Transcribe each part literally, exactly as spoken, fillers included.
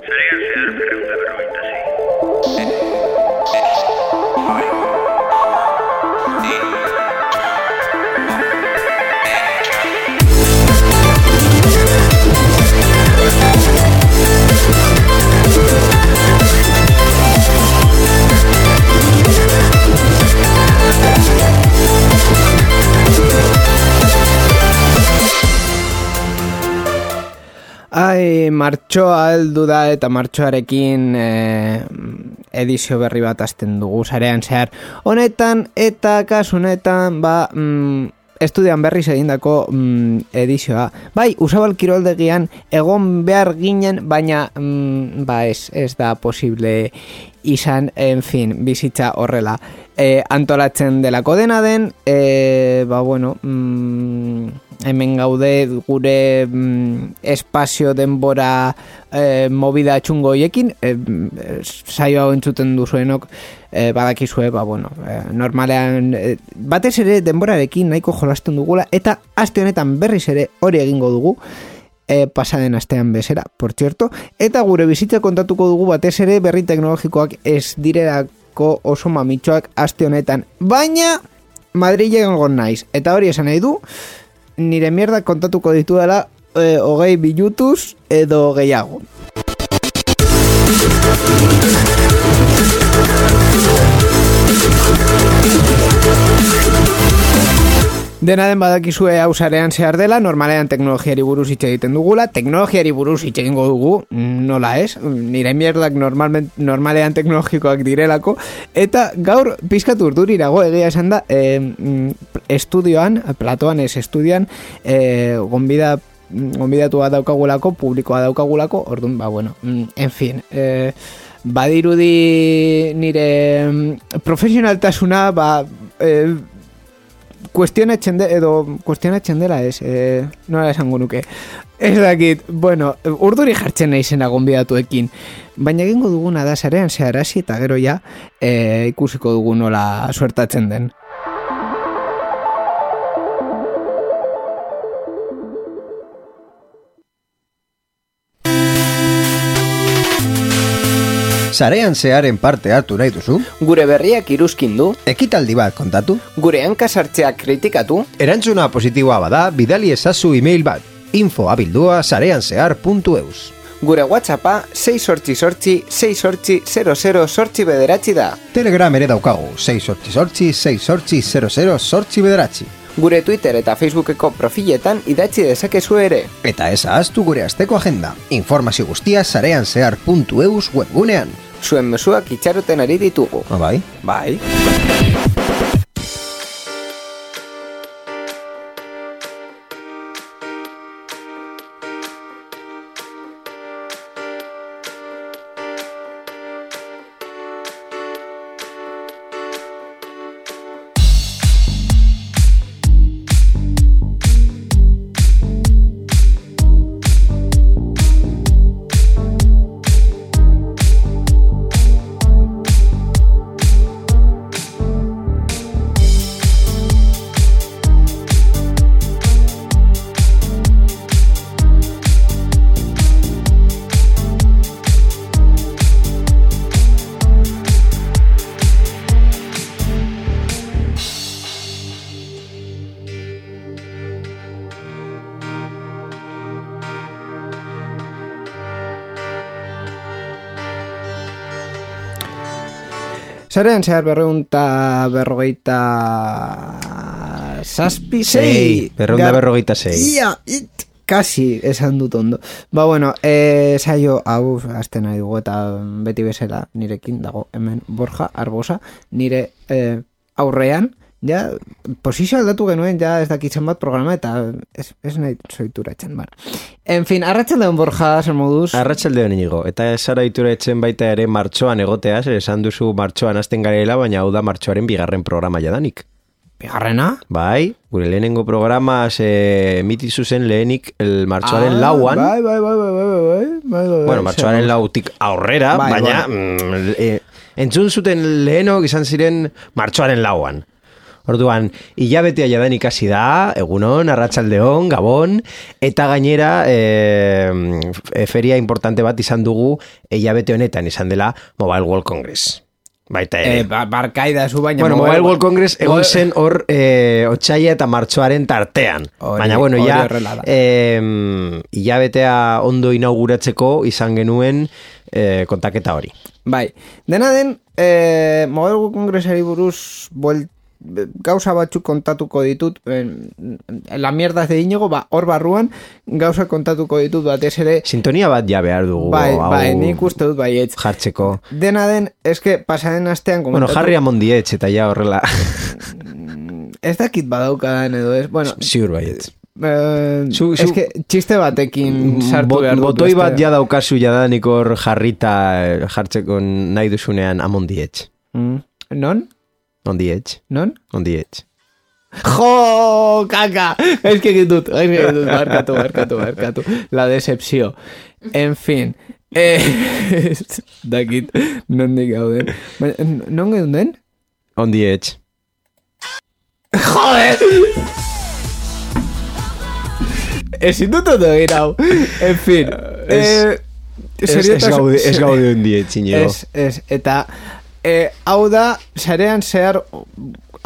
Sarean zehar berrehun eta berrogeita sei. Ai, martxoa heldu da eta martxoarekin eh, edizio berri bat hasten dugu sarean zehar honetan eta kasu honetan ba mm, estudian berriz egindako mm, edizioa. Bai, Usabal kiroldegian egon behar ginen, baina mm, ba ez, ez da posible izan, en fin, bizitza horrela e, antolatzen delako dena den, e, ba bueno, mm, hemen gaude gure mm, espazio denbora e, movida txungo hoiekin, e, saio hau entzuten duzuenok e, badakizue, ba bueno, e, normalean e, batez ere denborarekin nahiko jolasten dugula eta aste honetan berriz ere hori egingo dugu. E, pasaden astean bezera, por cierto, eta gure bizitza kontatuko dugu batez ere berri teknologikoak ez direlako oso mamitxoak aste honetan, baina Madrilen egon naiz, eta hori esan nahi du nire mierda kontatuko ditu dela e, hogei bilutuz edo gehiago. Dena den badakizue hau sarean zehar dela, normalean teknologiari buruz hitz egiten dugula, teknologiari buruz hitz egingo dugu, nola ez, nire mierdak normalment, normalean teknologikoak direlako, eta gaur pizkat urdurirago egia esan da, e, estudioan, platoan ez estudioan, e, gonbida, gonbidatua daukagulako, publikoa daukagulako, orduan, ba bueno, en fin, e, badirudi nire profesionaltasuna, ba, e, kuestionatzen de, edo kuestionatzen dela ez, e, nola esango nuke. Ez dakit, bueno, urduri jartzen nahi zena gonbidatuekin, baina egingo duguna da sarean zehar hasi eta gero ja e, ikusiko dugu nola suertatzen den. Sarean zearen parte hartu nahi duzu? Gure berriak iruzkin du? Ekitaldi bat kontatu? Gure hankasartzeak kritikatu? Erantzuna positiboa bada, bidali ezazu email bat, info abildua sarean zehar puntu eus. Gure WhatsAppa sei sortzi sortzi, sei sortzi, zero zero sortzi bederatzi da. Telegram ere daukagu, sei sortzi sortzi, sei sortzi, zero zero sortzi bederatzi. Gure Twitter eta Facebookeko profiletan idatzi dezakezu ere. Eta ez ahaztu gure asteko agenda. Informazio guztia sarean zehar puntu eus webgunean. Zuen mezuak itxaroten ari ditugu. Ah, bai? Bai. Sarean zehar berreunta berrogeita zazpi sei. Berreunta berrogeita sei. Ia, it, kasi esan dut ondo. Ba bueno, e, saio hau azten nahi dugu eta beti bezala nirekin dago hemen Borja Arbosa, nire e, aurrean, ja, posizio aldatu genuen, ja ez dakitzen bat programa eta ez, ez nahi zoituratzen, bara. En fin, arratsaldeon Borja, zer moduz? Arratsaldeon Inigo, eta esara ituratzen baita ere martxoan egoteaz, esan duzu martxoan hasten garela, baina hau da martxoaren bigarren programa jadanik. Bigarrena? Bai, gure lehenengo programa se emitizu zen lehenik el martxoaren ah, lauan. Bai, bai, bai, bai, bai, bai, bai, bai, bueno, martxoaren lautik aurrera, bai, baina bai. Mm, e, entzun zuten lehenok izan ziren martxoaren lauan. Orduan, hilabetea jadan ikasi da, egunon, arratsaldeon, gabon, eta gainera e, feria importante bat izan dugu hilabete honetan izan dela Mobile World Congress. Baita ere. Eh, ba, barkaida zu baina... Bueno, Mobile World Congress egon zen hor e, otsaila eta martxoaren tartean. Ori, baina, bueno, ja, horrela da. e, hilabetea ondo inauguratzeko izan genuen e, kontaketa hori. Bai, dena den, eh, Mobile World Congressari buruz buelt, gauza batzuk kontatuko ditut, eh, la mierda de Iñigo, ba, hor barruan gauza kontatuko ditut batez ere. Sintonia bat ja behar dugu. Bai, hau, bai, nik uste dut baietz. Jartzeko. Dena den, eske pasaren astean komentatu... Bueno, jarri amondietz eta ja horrela. Ez dakit badaukadan edo ez, bueno... Ziur baietz. Eh, Zu- zu- eske txiste batekin sartu Bot- behar dut. Botoi beste- bat ja daukazu jadanik hor jarrita eh, jartzeko nahi duzunean amondietz. Mm. Non? Ondietz. Non? Ondietz. Jo, kaka! Ez que ditut, ez que ditut, barkatu, barkatu, barkatu. La decepció. En fin. Eh, dakit, non dik gauden. Baina, non gauden? Ondietz. Joder! Ezin dut ondo egin hau. En fin. Eh, Ez, ez gaude, ez gaude ondietz, Iñigo. Ez, ez, eta eh, hau da, sarean zehar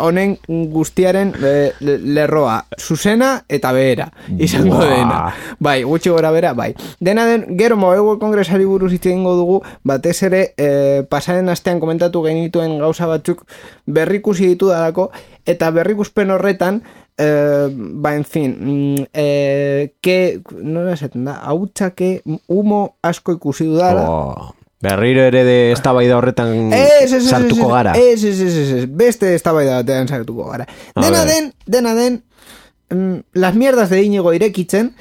honen guztiaren eh, lerroa, zuzena eta behera, izango Buah. dena. Bai, gutxi gora bera, bai. Dena den, gero Mobile World Congressari buruz hitz egingo dugu, batez ere, eh, pasaren astean komentatu genituen gauza batzuk berrikusi ditu dalako, eta berrikuspen horretan, eh, ba, en fin, mm, eh, ke, nola esaten da, hautsake humo asko ikusi dudala. Oh, berriro ere de eztabaida horretan Ez, ez, ez, sartuko ez, gara. Ez, ez, ez, ez, ez, beste eztabaida batean sartuko gara. A Dena ver. den, dena den, mm, las mierdas de Iñigo irekitzen,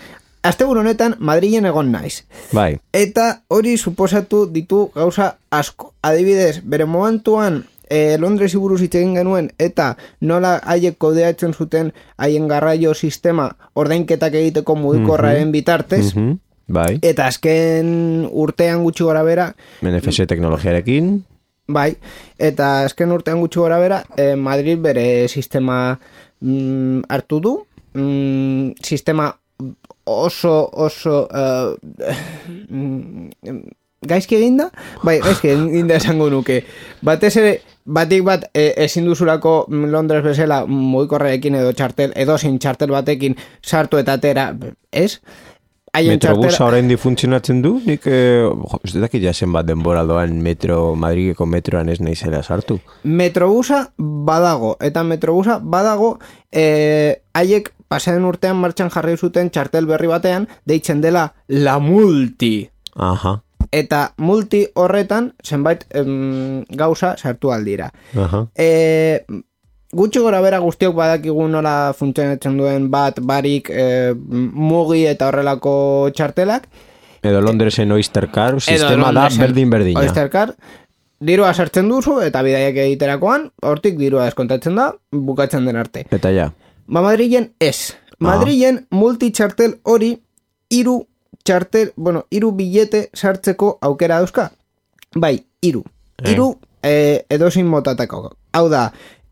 asteburu honetan Madrilen egon naiz. Bai. Eta hori suposatu ditu gauza asko. Adibidez, bere momentuan e, Londresi buruz hitz egin genuen eta nola haiek kodeatzen zuten haien garraio sistema ordainketak egiteko mugikorraren bitartez. Mhm. Bai. Eta azken urtean gutxi gora bera, N F S teknologiarekin. bai, eta azken urtean gutxi gora bera, eh, Madrid bere sistema mm, hartu du, mm, sistema oso, oso uh, mm, gaizki eginda, bai, gaizki eginda esango nuke. Batez ere, batik bat e, ezin duzulako Londres bezala mugikorrarekin edo txartel, edo sin txartel batekin sartu eta atera, ez? Haien Metrobusa txartela- orain di funtzionatzen du? Nik, eh, jo, ez dakit jasen bat denbora doan metro, Madrileko metroan ez naizela sartu. Metrobusa badago, eta Metrobusa badago eh, haiek pasaren urtean martxan jarri zuten txartel berri batean, deitzen dela La Multi. Aha, Eta multi horretan zenbait em, gauza sartu aldira. aha. E, gutxi gora bera guztiok badakigu nola funtzionatzen duen bat, barik, e, mugi eta horrelako txartelak. Edo Londresen Oystercard, sistema da Londresen berdin-berdina. Oystercard, dirua sartzen duzu eta bidaiak egiterakoan, hortik dirua deskontatzen da, bukatzen den arte. Eta ja. Ba Madrilen ez. Madrilen multitxartel hori hiru txartel, bueno, hiru bilete sartzeko aukera dauzka. Bai, hiru. Hiru eh, edozein motatako. Hau da,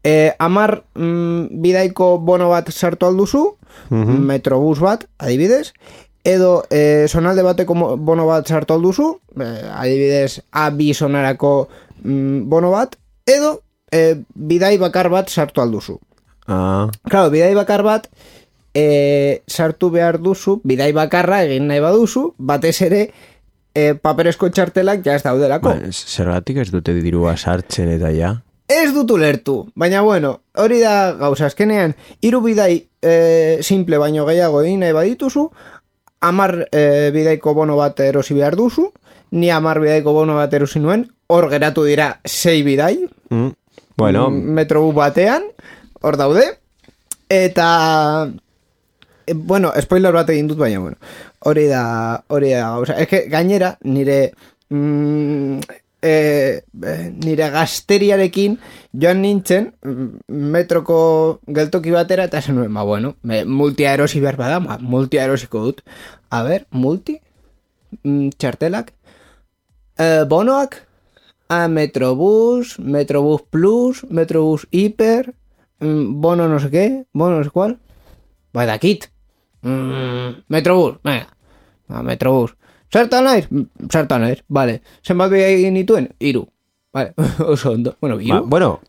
eh, amar mm, bidaiko bono bat sartu alduzu, Mhm. metrobus bat, adibidez, edo eh, sonalde bateko mo- bono bat sartu alduzu, eh, adibidez, A bi sonarako mm, bono bat, edo eh, bidai bakar bat sartu alduzu. Ah, Claro, bidai bakar bat e, sartu behar duzu, bidai bakarra egin nahi baduzu, batez ere e, paperezko txartelak ja ez daudelako. ba, zergatik ez dute dirua sartzen eta ja. Ez dut ulertu, baina bueno, hori da gauza azkenean, hiru bidai e, simple baino gehiago egin nahi badituzu, amar e, bidaiko bono bat erosi behar duzu, ni amar bidaiko bono bat erosi nuen, hor geratu dira sei bidai, Mm. Bueno, metrobus batean, hor daude, eta e, bueno, spoiler bat egin dut, baina bueno, hori da hori da gauza, es que gainera nire mm, e, e, nire gazteriarekin joan nintzen mm, metroko geltoki batera eta esan nuen, ba bueno, me, multia erosi behar bada, ma, multia erosiko dut, a ber, multi mm, txartelak e, bonoak a Metrobús, Metrobús Plus, Metrobús Hiper, mm, bono no sé qué, bono no sé cuál. Ba, dakit. Mm, Metrobus, venga. Ba, Metrobus. Zertan naiz? Zertan naiz, vale. Zenbat bidai egin dituen? Hiru. Vale, oso ondo. Bueno, hiru. Ba, bueno,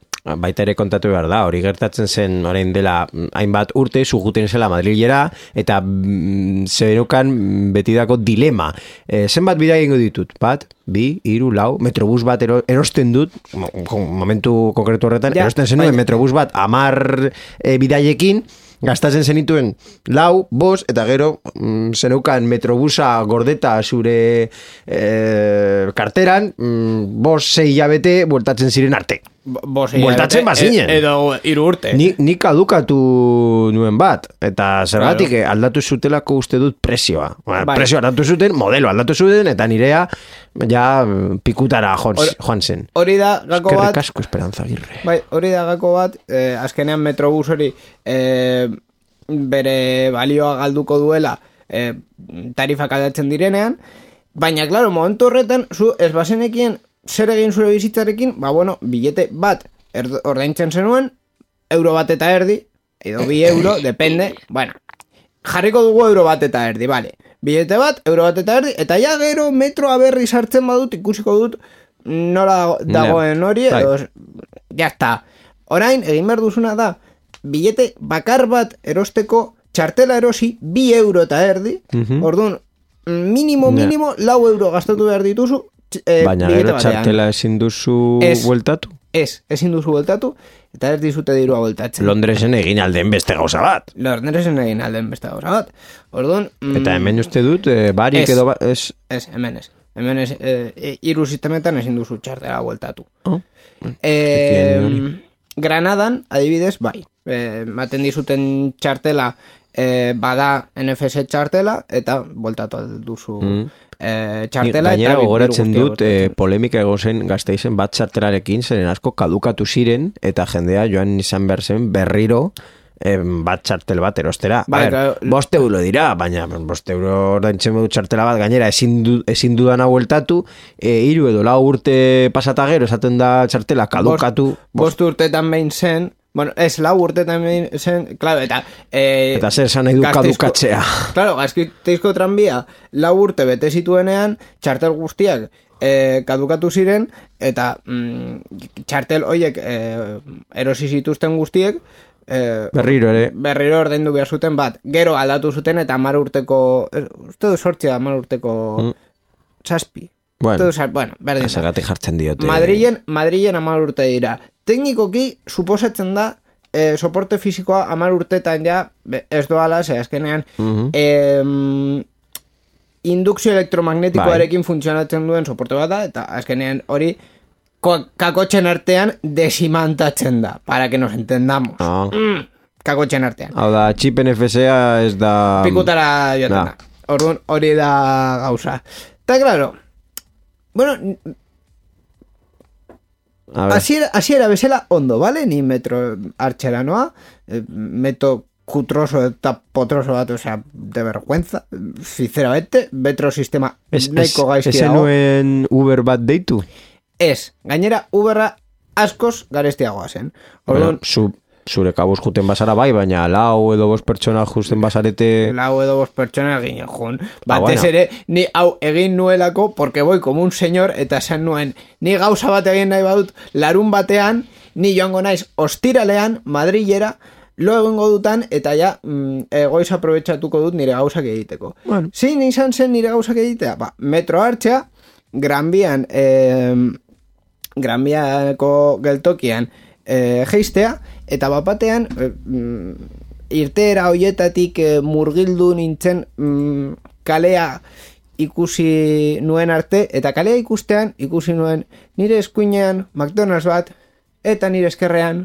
baita ere kontatu behar da, hori gertatzen zen orain dela hainbat urte zuguten zela Madrilera eta mm, zebenukan betidako dilema. E, zenbat bidai egingo ditut? Bat, bi, hiru, lau, Metrobus bat ero, erosten dut, momentu konkretu horretan, ja, erosten zenuen baina... Metrobus bat amar e, bidaiekin, gastatzen zenituen lau, bos, eta gero mm, zeneukan Metrobusa gordeta zure e, karteran, mm, bos sei hilabete bueltatzen ziren arte. Bos bueltatzen bazinen. E, edo hiru urte. Ni, ni kadukatu nuen bat, eta zergatik claro. aldatu zutelako uste dut presioa. Bueno, bai. Presioa aldatu zuten, modelo aldatu zuten, eta nirea ja pikutara joan, joan zen. Hori da gako bat... Eskerrik asko Esperanza Agirre. Bai, hori da gako bat, eh, azkenean Metrobus hori eh, bere balioa galduko duela eh, tarifak aldatzen direnean, baina, klaro, momentu horretan, zu ez bazenekien zer egin zure bizitzarekin, ba, bueno, bilete bat ordaintzen zenuen, euro bat eta erdi, edo bi euro, depende, bueno, jarriko dugu euro bat eta erdi, vale, bilete bat, euro bat eta erdi, eta ja gero metroa berri sartzen badut, ikusiko dut, nola dagoen hori, edo, ja está. Orain, egin behar duzuna da, bilete bakar bat erosteko txartela erosi, bi euro eta erdi, uh-huh. Orduan, minimo, minimo, yeah. lau euro gastatu behar dituzu, Eh, baina gero txartela ezin duzu es, bueltatu? Ez, ezin duzu bueltatu, eta ez dizute dirua bueltatzen. Londresen egin alden beste gauza bat. Londresen egin alden beste gauza bat. Orduan... Mm, eta hemen uste dut, eh, barik es, edo... Ba, es... Ez, hemen ez. Hemen ez, eh, iru sistemetan ezin duzu txartela bueltatu. Oh. Eh, Granadan, adibidez, bai. Eh, maten dizuten txartela, eh, bada N F S txartela, eta bueltatu duzu... Mm. Eh, txartela gainera gogoratzen dut eh, polemika egozen Gasteizen bat txartelarekin zeren asko kadukatu ziren eta jendea joan izan behar zen berriro eh, bat txartel bat erostera ba, ver, bost euro dira baina bost euro ordaintzen du txartela bat gainera ezin, du, ezin dudan bueltatu eh, hiru edo lau urte pasata gero esaten da txartela kadukatu bost, bost, bost urtetan behin zen. Bueno, ez lau urte también zen, claro, eta... Eh, eta zer esan nahi du kadukatzea. Claro, Gasteizko tranbia lau urte bete zituenean, txartel guztiak eh, kadukatu ziren, eta mm, txartel hoiek eh, erosi zituzten guztiek, eh, berriro ere. Berriro ordaindu behar zuten bat. Gero aldatu zuten eta hamar urteko, eh, uste du sortzea hamar urteko mm. zazpi. Bueno, bueno, berdin. Esagatik jartzen diote. Madrilen, Madrilen hamar urte dira. Teknikoki, suposatzen da, eh, soporte fisikoa hamar urtetan ja, ez doala, ze azkenean, uh-huh. eh, indukzio elektromagnetikoarekin funtzionatzen duen soporte bat da, eta azkenean hori kakotxen artean desimantatzen da, para que nos entendamos. Oh. Mm, kakotxen artean. Hau da, chip N F S-a ez da... Pikutara joaten da. Orduan hori da gauza. Eta, claro, bueno... Asiera bezala ondo, ¿vale? Ni metro artxera noa, meto kutroso eta potroso bat, o sea, de vergüenza, sinceramente, metro sistema neko gaizki dago. Ez nuen Uber bat deitu? Ez, gainera Uberra askoz garestiagoa zen. Orduan, bueno, zure kabuz juten basara bai, baina lau edo bost pertsona justen basarete... Lau edo bost pertsona egin jun. Batez ah, bueno. ere, ni hau egin nuelako, porque boi como un señor, eta esan nuen, ni gauza bat egin nahi badut, larun batean, ni joango naiz ostiralean, Madrilera, lo egingo dutan, eta ja, mm, egoiz aprobetxatuko dut nire gauzak egiteko. Bueno. Zein izan zen nire gauzak egitea? Ba, metro hartxea, Gran Bian, eh, Gran Biako geltokian, eh, geistea, eta bapatean e, mm, irteera hoietatik e, murgildu nintzen mm, kalea ikusi nuen arte, eta kalea ikustean ikusi nuen nire eskuinean McDonald's bat, eta nire eskerrean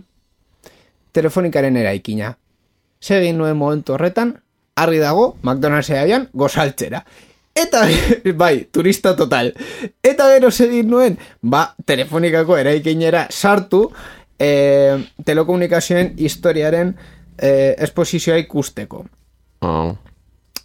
telefonikaren eraikina. Segin nuen momentu horretan, argi dago, McDonald's eabian gozaltzera. Eta, bai, turista total. Eta gero segin nuen, ba, telefonikako eraikinera sartu, Eh, telekomunikazioen historiaren eh, esposizioa ikusteko. Oh.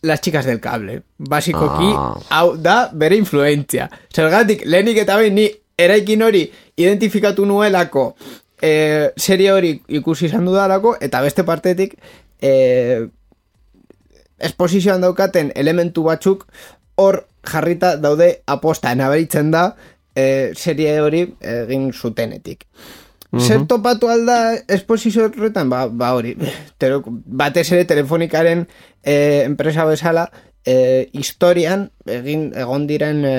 Las chicas del cable. Basikoki, oh. hau da bere influentzia. Zergatik, lehenik eta behin ni eraikin hori identifikatu nuelako e, serie hori ikusi izan dudalako, eta beste partetik e, esposizioan daukaten elementu batzuk hor jarrita daude aposta nabaritzen da e, serie hori egin zutenetik. Mm-hmm. Zer topatu alda esposizio horretan? Ba, ba hori, Tero, batez ere telefonikaren e, enpresa bezala e, historian egin egon diren e,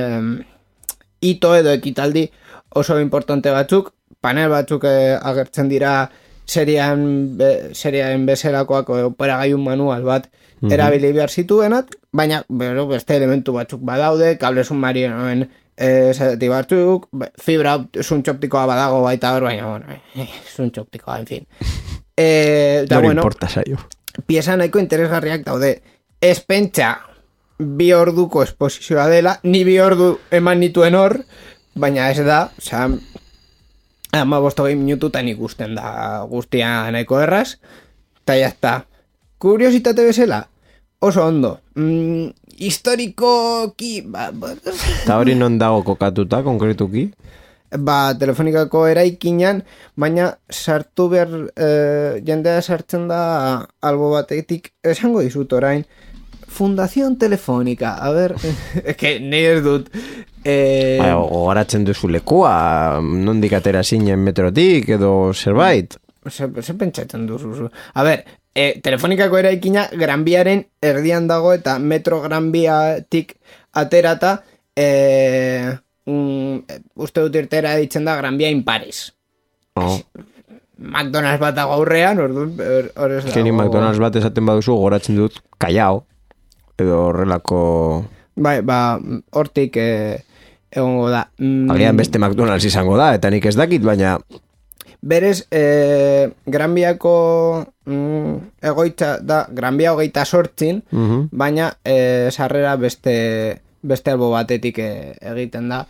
hito edo ekitaldi oso importante batzuk, panel batzuk e, agertzen dira serian, be, serian bezalakoak operagailun manual bat mm-hmm. erabili behar zituenat, baina bero, beste elementu batzuk badaude, kable submarinoen e, zati batzuk, fibra zuntxoptikoa badago baita hor, baina bueno, e, zuntxoptikoa, en fin. E, da, no bueno, importa saio. Pieza nahiko interesgarriak daude. Ez pentsa bi orduko esposizioa dela, ni bi ordu eman nituen hor, baina ez da, oza, ama bostogei minututan ikusten da guztia nahiko erraz, eta jazta. Kuriositate bezala, oso ondo. Mm, historikoki, ba, ba, eta hori non dago kokatuta, konkretuki? Ba, telefonikako eraikinan, baina sartu behar, e, jendea sartzen da albo batetik, esango dizut orain, Fundación Telefónica, a ver, que nahi ez dut. Eh, ba, gogaratzen duzu lekua, nondik atera zinen metrotik edo zerbait. Se, se pentsatzen duzu. A ver, eh, Telefonikako eraikina Gran Biaren erdian dago eta metro Gran Biatik aterata, eh, un, uste dut irtera ditzen da Gran Bia in Paris. Oh. McDonald's bat dago aurrean, orduan, hor ez dago. Geni McDonald's bat esaten baduzu gogoratzen dut Callao, edo horrelako... Bai, ba, hortik eh, egongo da. Mm, Agian beste McDonald's izango da, eta nik ez dakit, baina... Berez, eh, Gran Biako mm, egoitza da, Gran Bia hogeita sortzin, uh-huh. baina eh, sarrera beste, beste albo batetik eh, egiten da.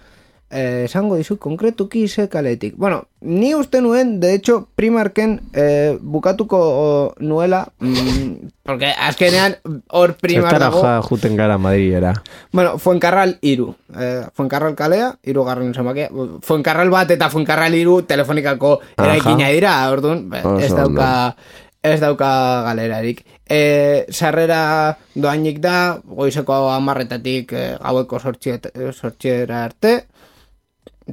Eh, esango dizu, konkretuki ze kaletik. Bueno, ni uste nuen, de hecho, Primarken eh, bukatuko o, nuela, mm, porque azkenean hor Primar dago... Zertara juten gara Madriera. Bueno, Fuencarral iru. Eh, Fuencarral kalea, iru garren zamakia. Fuencarral bat eta Fuencarral iru telefonikako eraikina dira, orduan, ez dauka... Ez dauka galerarik. E, sarrera doainik da, goizeko amarretatik e, gaueko sortxiera arte,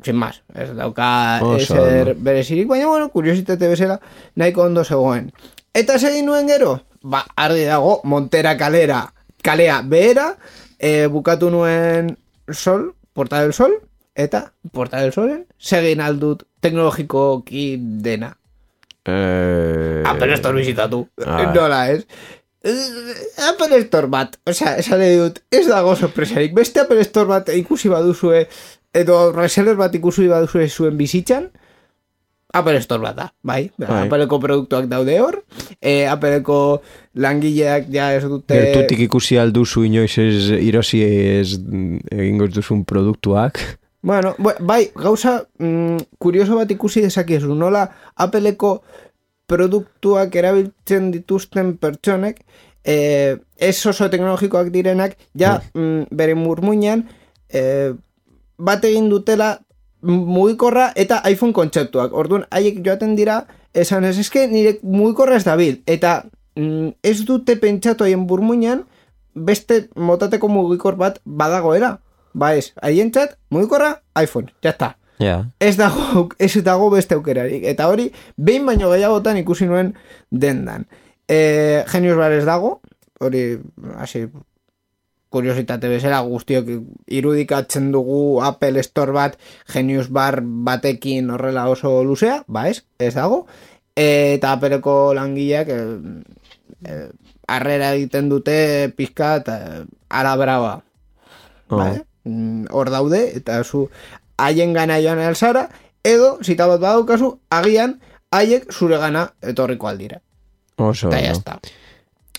sin más, ez dauka ezer berezirik, baina bueno, kuriositate bezala nahiko ondo zegoen. Eta segin nuen gero, ba, argi dago, Montera kalera, kalea behera, e, bukatu nuen Sol, Porta del Sol, eta Porta del Solen segin aldut teknologikoki dena. Eh... Apple Store bizitatu. Nola ez? Apple Store bat, osea, esan edut, ez dago sorpresarik. Beste Apple Store bat ikusi baduzue, edo reseller bat ikusi baduzue zuen bizitzan, Apple Store bat da, bai? bai. Appleko produktuak daude hor, e, Appleko langileak ja ez dute... Gertutik ikusi alduzu inoiz ez irosi ez egingo duzun produktuak... Bueno, bai, gauza mm, kurioso bat ikusi dezakiezu, nola Appleko produktuak erabiltzen dituzten pertsonek, eh, ez oso teknologikoak direnak, ja mm, bere murmuinan eh, bat egin dutela mugikorra eta iPhone kontzeptuak. Orduan, haiek joaten dira, esan ez, eske nire mugikorra ez dabil, eta mm, ez dute pentsatu haien murmuinan beste motateko mugikor bat badagoera. Ba ez, haientzat, mugikorra, iPhone, jazta. Yeah. Ez dago, ez dago beste aukerarik. Eta hori, behin baino gehiagotan ikusi nuen dendan. E, Genius Bar ez dago, hori, hasi, kuriositate bezala, guztiok irudikatzen dugu Apple Store bat, Genius Bar batekin horrela oso luzea, ba ez, ez dago. E, eta Appleko langileak, e, e, arrera egiten dute pizka eta ara brava. Oh. Ba, hor daude, eta zu haien gana joan alzara, edo, zita bat badaukazu, agian, haiek zure gana etorriko aldira. Oso, eta jazta.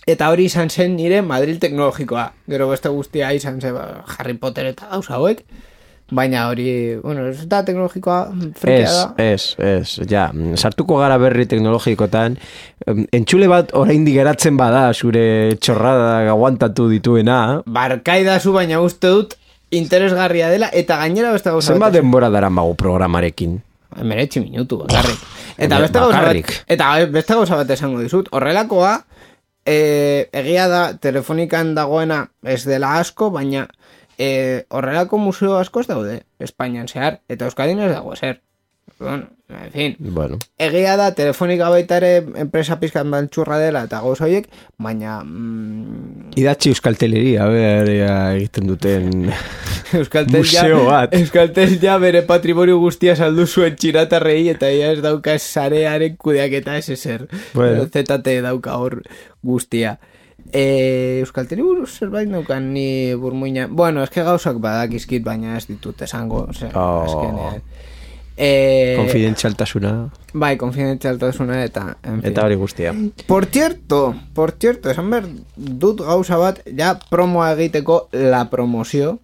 Eta hori izan zen nire Madrid teknologikoa. Gero beste guztia izan zen ba, Harry Potter eta gauza hauek, baina hori, bueno, ez da teknologikoa frikea da. Ez, ez, ez, ja, sartuko gara berri teknologikotan, entxule bat oraindik geratzen bada, zure txorrada aguantatu dituena. Barkaidazu, baina uste dut, interesgarria dela, eta gainera beste gauza. Zenbat denbora dara magu programarekin? emeretzi minutu, bakarrik. Eta beste gauza bat, eta beste gauza bat esango dizut, horrelakoa, e, egia da, telefonikan dagoena ez dela asko, baina e, horrelako museo asko ez daude, Espainian zehar, eta Euskadin ez dago zer. Bueno, en fin, bueno. Egia da, telefonika baita ere enpresa pizkan bantxurra dela eta gauza horiek, baina... Mm, idatzi Euskalteleria, a ber, egiten duten Euskaltel museo bat. Euskaltel ja bere patrimonio guztia saldu zuen txiratarrei eta ja ez dauka sarearen kudeak eta ez ezer. Bueno. Z T dauka hor guztia. E, Euskalteri buruz zerbait daukan ni burmuina... Bueno, eske gauzak badakizkit, baina ez ditut esango. Ose, oh. Esken, Eh, konfidentzialtasuna. Bai, konfidentzialtasuna eta en fin. Eta hori guztia. Por cierto, por cierto, esan behar dut gauza bat, ja promoa egiteko la promozio,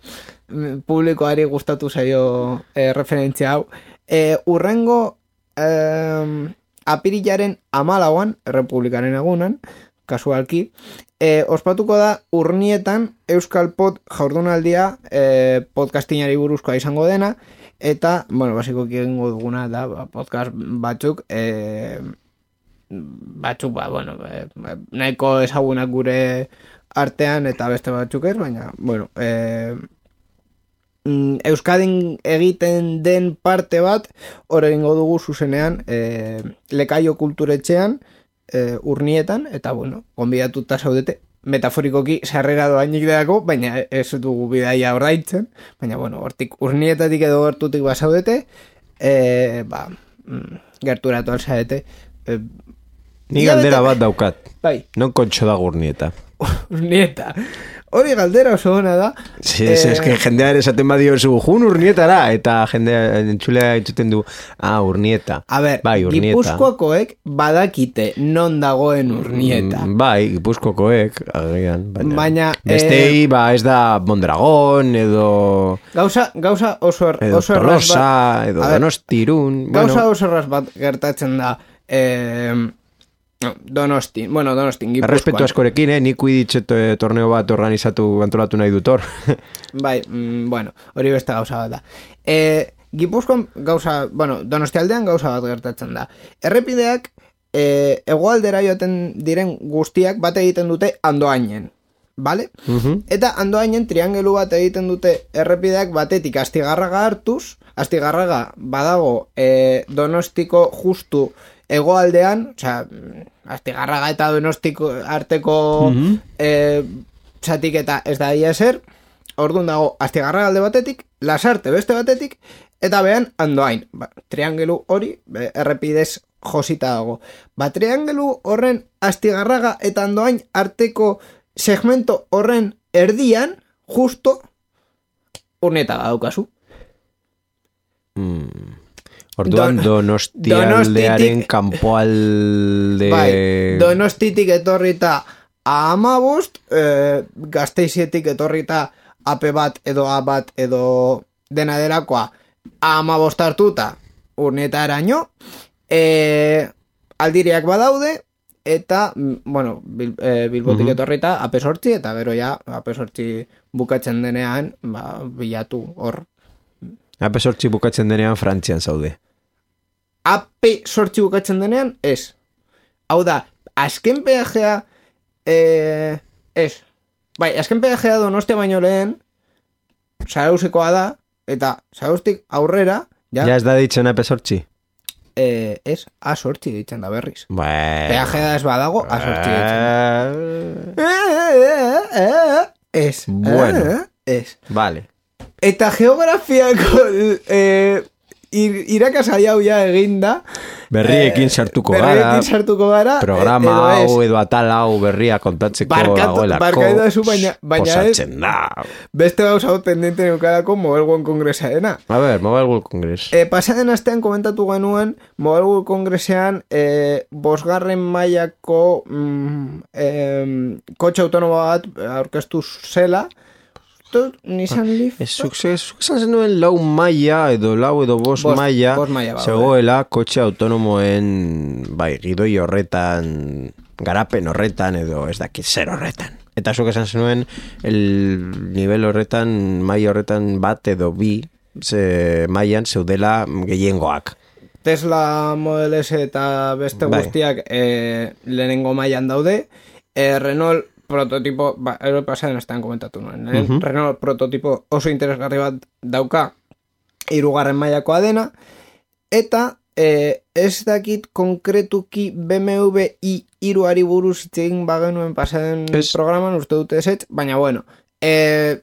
publikoari gustatu zaio eh, referentzia hau. Eh, urrengo eh, apirilaren amalauan, Errepublikaren egunan, kasualki, eh, ospatuko da Urnietan Euskal Pod jaurdunaldia eh, podcastinari buruzkoa izango dena, eta, bueno, basiko egingo duguna da podcast batzuk e, batzuk, ba, bueno e, nahiko ezagunak gure artean eta beste batzuk ez, baina, bueno e, Euskadin egiten den parte bat hor egingo dugu zuzenean e, Lekaio kulturetxean e, Urnietan, eta, bueno, gonbidatuta zaudete metaforikoki sarrera doainik delako, baina ez dugu bidaia ordaintzen, baina, bueno, hortik Urnietatik edo gertutik basaudete, e, ba, gerturatu alzaete. E, Ni galdera bat daukat. Bai. Non kontxo da Urnieta? Urnieta. Hori galdera oso ona da. Sí, eh, es que jendearen esaten badio zu, jun Urnietara, eta jendea entzulea entzuten du, ah, Urnieta. A ber, bai, Gipuzkoakoek badakite non dagoen Urnieta. Mm, bai, Gipuzkoakoek, agian, baina, baina bestei, eh, ba, ez da Mondragon, edo... Gauza, gauza oso, er, edo oso Tolosa, bat, edo Donostirun... Gauza bueno. oso erraz bat gertatzen da... Eh, Donostin, bueno, Donostin, Gipuzkoan. Errespetu askorekin, eh? Nik uiditxet torneo bat organizatu, antolatu nahi dutor. Bai, mm, bueno, hori beste gauza bat da. E, Gipuzkoan gauza, bueno, Donostialdean gauza bat gertatzen da. Errepideak, e, hegoaldera joaten diren guztiak bat egiten dute Andoainen, bale? Uh-huh. Eta Andoainen triangelu bat egiten dute errepideak batetik Astigarraga hartuz, Astigarraga badago e, Donostiko justu hegoaldean, osea, Astigarraga eta Donostiko arteko uh-huh. e, txatik eta ez da ia eser, orduan dago Astigarraga alde batetik, Lasarte beste batetik, eta behan Andoain. Ba, triangelu hori, be, errepidez josita dago. Ba, triangelu horren Astigarraga eta Andoain arteko segmento horren erdian, justo, Urnieta daukazu. Mm. Orduan Don, Donostialdearen kanpoalde... Bai, Donostitik etorrita a amabost, eh, Gasteizietik etorrita ape bat edo a bat edo dena delakoa a amabost hartuta Urnietaraino, eh, aldiriak badaude, eta, bueno, bil, eh, Bilbotik uh-huh. etorrita ape sortzi, eta gero ja, ape sortzi bukatzen denean, ba, bilatu hor. Ape sortzi bukatzen denean Frantzian zaude. Ape sortzi bukatzen denean, ez. Hau da, azken peajea, eh, ez. Bai, azken peajea Donostia baino lehen, Zarauzekoa da, eta Zarauztik aurrera, ja. Ja ez da ditzen ape sortzi? Eh, ez, a sortzi ditzen da berriz. Bueno. Peajea ez badago, a sortzi ditzen. Eh, ez. Bueno. Ez. Vale. Eta geografiako eh, ir, irakasai hau ja eginda. Berriekin sartuko gara. Berriekin sartuko gara. Programa edo hau edo atal hau berria kontatzeko dagoelako. Barkatu da zu, baina, baina ez. Da. Beste gauza hau pendente neukalako Mobile World Congressaena. A ver, Mobile World Congress. E, pasaden astean komentatu genuen Mobile World Congressean e, bosgarren mailako mm, e, kotxe autonomo bat aurkeztu zela. Nissan Leaf. Zuk esan zenuen lau maila edo lau edo bos maila zegoela kotxe autonomoen bai, gidoi horretan garapen horretan edo ez dakit zer horretan. Eta zuk esan zenuen el nivel horretan maila horretan bat edo bi ze mailan zeudela gehiengoak. Tesla Model S eta beste Bai. guztiak e, lehenengo mailan daude, e, Renault prototipo, ba, ero pasaden estan komentatu nuen, uh -huh. Renault prototipo oso interesgarri bat dauka, hirugarren mailakoa dena, eta e, ez dakit konkretuki B M W i hiruari buruz hitz egin bagenuen pasaden es... programan, uste dute ezetz, baina bueno, e,